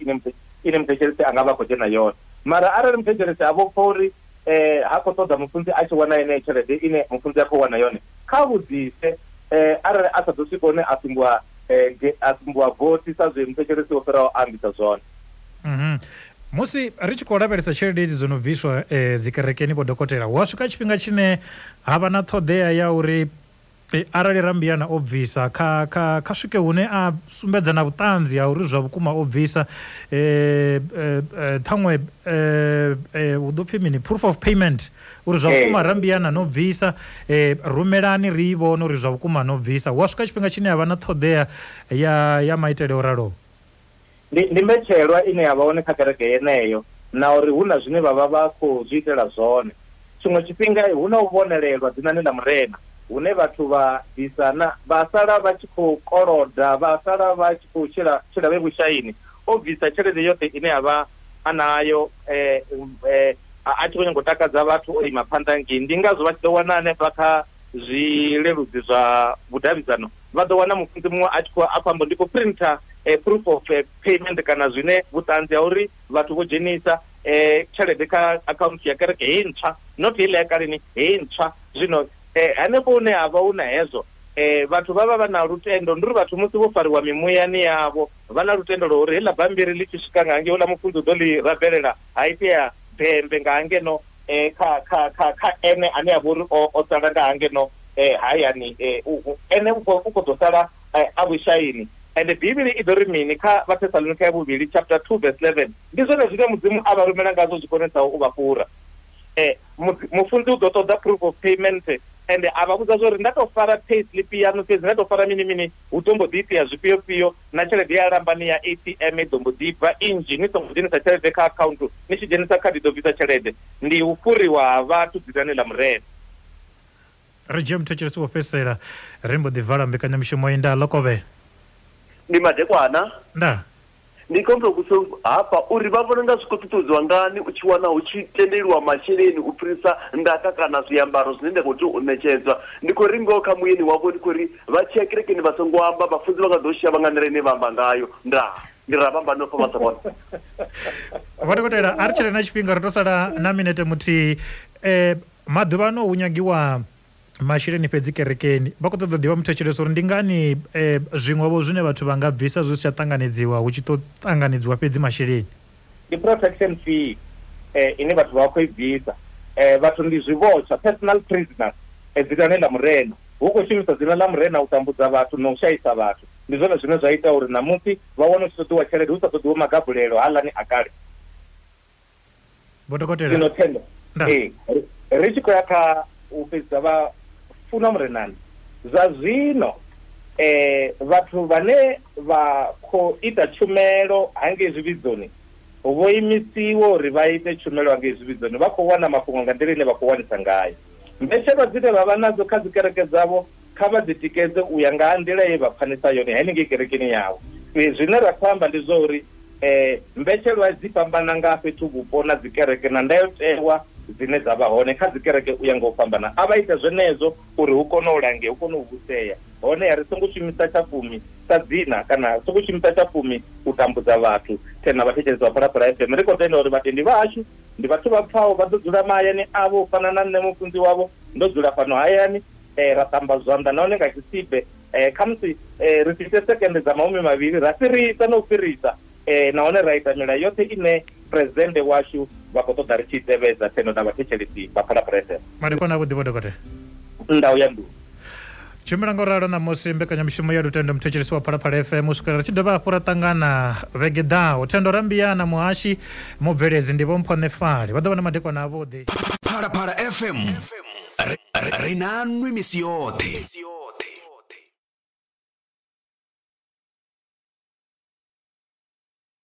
ine muthetshelesi a nga vha khou dzhena yone. Mara arali muthetshelesi a vho pfa uri eh ha khou ṱoḓa mufunzi a tshi wana yeneyo tshelede ine mufunzi a khou wana yone, kha vhudzise eh arali a sa ḓo swika hune a sumbiwa a sumbiwa vothi sa zwe muthetshelesi wo fhiraho a ambisa zwone. Mhm. Musi ri tshi khou lavhelesa tshelede idzi dzo no bviswa eh, dzikerekeni vho dokotela, hu a swika tshifhinga tshine ha vha na ṱhoḓea ya uri arali Rambiyana o bvisa kha kha kha swike hune a sumbedza na vhuṱanzi ha uri zwa vhukuma o bvisa eh ṱhaṅwe eh u ḓo pfi mini proof of payment uri zwa vhukuma Rambiyana no bvisa, eh rumelani ri vhone uri zwa vhukuma no bvisa. Hu a swika tshifhinga tshine ha vha na ṱhoḓea ya ya maitele o raloho. Ndi ndi mbetshelwa ine ya vha hone kha kereke yeneyo na uri hu na zwine vha vha vha khou zwi itela zwone. Tshiṅwe tshifhinga hu na u vhonelelwa dzinani ḽa Murena hune vhathu vha bvisa na vha sala vha tshi khou koloda, vha sala vha tshi khou tshila tshila vhe vhushaini. O bvisa tshelede yoṱhe ine ya vha a nayo eh, eh, a tshi khou nyanga u takadza vhathu o ima phanḓa ngei. Ndi ngazwo vha tshi ḓo wana hanefha kha zwileludzi zwa vhudavhidzano vha ḓo wana mufunzi muṅwe a tshi khou a khou amba ndi khou printer proof of payment kana zwine vhuṱanzi ha uri vhathu vho dzhenisa eh tshelede kha account ya kereke heyi ntswa, not heiḽa ya kaleni, heyi ntswa. Zwino eh hanefho hune ha vha hu na hezwo eh vhathu vha vha vha na lutendo, ndi uri vhathu musi vho fariwa mimuyani yavho vha na lutendo lwa uri heḽa bammbiri ḽi tshi swika nga hangei houḽa mufunzi u ḓo ḽi rabelela ha itea bembe nga hangeno eh kha kha kha kha ene ane a vha uri o sala nga hangeno eh hayani, eh ene u khou ḓo sala a vhushaini. Ende Bivhili i ḓo ri mini kha Vhathesalonika ya vhuvhili chapter two verse eleven? Ndi zwone zwine Mudzimu a vha rumela ngazwo zwi konesaho u vha fhura. Eh mufunzi u ḓo ṱoḓa proof of payment, ende a vha vhudza zwa uri nda tou fara pay slip yaṋu fhedzi, nda tou fara mini mini, hu ḓo mbo ḓi itea zwifhio fhio, na tshelede ya lambani ya A T M i ḓo mbo ḓi bva nnzhi, ni songo dzhenisa tshelede kha akhaunthu, ni tshi dzhenisa khadi ḓo bvisa tshelede. Ndi u fhuriwa ha vhathu dzinani ḽa Murena. Ri dzhie muthetshelesi wo fhedzisela ri mbo ḓi vala mbekanyamushumo iyi. Nda Lokovhe. Ndi madekwana. Nda. Ndi khombo kuso hafha uri vha vhona nga zwi khou ṱuṱuwedziwa ngani u tshi wana hu tshi tendeliwa masheleni u fhirisa ndaka kana zwiambaro zwine nda khou tea u ṋetshedzwa. Ndi khou ri ngoho kha muyeni wavho, ndi khou ri vha tshi ya kerekeni vha songo amba, vhafunzi vha nga ḓo shia vha nga nḓila ine vha amba ngayo. Ndaa ndi ra vhamba no fa vha sa vhona. Vho dokotela, a ri tshele na tshifhinga, ri to sala na minete muthihi. Eh maḓuvha ano hu nyagiwa masheleni fhedzi kerekeni. Vha khou ṱoḓa u ḓivha muthetshelesi uri ndi ngani eh, zwiṅwe zwine vhathu vha nga bvisa zwi si tsha ṱanganedziwa hu tshi ṱo ṱanganedziwa fhedzi masheleni. Ndi protection fee eh, ine vhathu vha khou i bvisa. Eh, vhathu ndi zwivhotsha, personal prisoners, eh, dzinani ḽa Murena. Hu khou shumisa dzina ḽa Murena u tambudza vhathu na u shaisa vhathu. Ndi zwone zwine zwa ita uri ṋamusi vha wane hu tshi ṱoḓiwa tshelede hu sa ṱoḓiwe magabulelo haaḽani a kale. Vho dokotela, zwino Thendo, eh, ri tshi khou ya kha u fhedzisa vha funa Murenani. Zwa zwino eh vhathu vhane vha khou ita tshumelo hangei zwivhidzoni vho imisiwa uri vha ite tshumelo hangei zwivhidzoni, vha khou wana mafhungo nga nḓila ine vha khou wanisa ngayo. Mbetshelwa dzine vha vha nadzo kha dzi kereke dzavho kha vha dzi tikedze u ya nga nḓila ye vha pfanisa yone henengei kerekeni yavho. Zwine ra khou amba ndi zwa uri eh mbetshelwa dzi fhambana nga fhethu vhupo na dzi kereke na ndayotewa dzine dza vha hone kha dzi kereke u ya nga u fhambana. A vha ite zwenezwo uri hu kone u langea, hu kone u vhusea. Hone ri songo shumisa tshafumi sa dzina kana songo shumisa tshafumi u tambudza vhathu. Tena vhathetshelesi vha Phalaphala F M, ri khou tenda uri vhatendi vhashu ndi vhathu vha pfaho, vha ḓo dzula mahayani avho u fana na nṋe mufunzi wavho, ndo dzula fhano hayani, eh, ra ṱamba zwanḓa nahone nga tshisibe, eh, khamusi eh, ri si ite sekende dza mahumi mavhili ra fhirisa na u fhirisa, eh, nahone ra ita milayo yoṱhe ine presidente washu vha khou ṱoḓa ri tshi tevhedza. Thendo na vhathetshelesi vha Phalaphala F M. Madekwana avhuḓi vho dokotela. Ndau ya nḓuni. Tshimbila ngo ralo ṋamusi mbekanyamushumo ya Lutendo muthetshelesi wa Phalaphala F M u swikela ri tshi dovha hafhu ra ṱangana vhege ḓaho. Thendo Rambiyana, muhashi mubveledzi ndi Vho Mpho Nefali. Vha ḓo vha na madekwana avhuḓi. Phalaphala F M ri na nwi misi yoṱhe.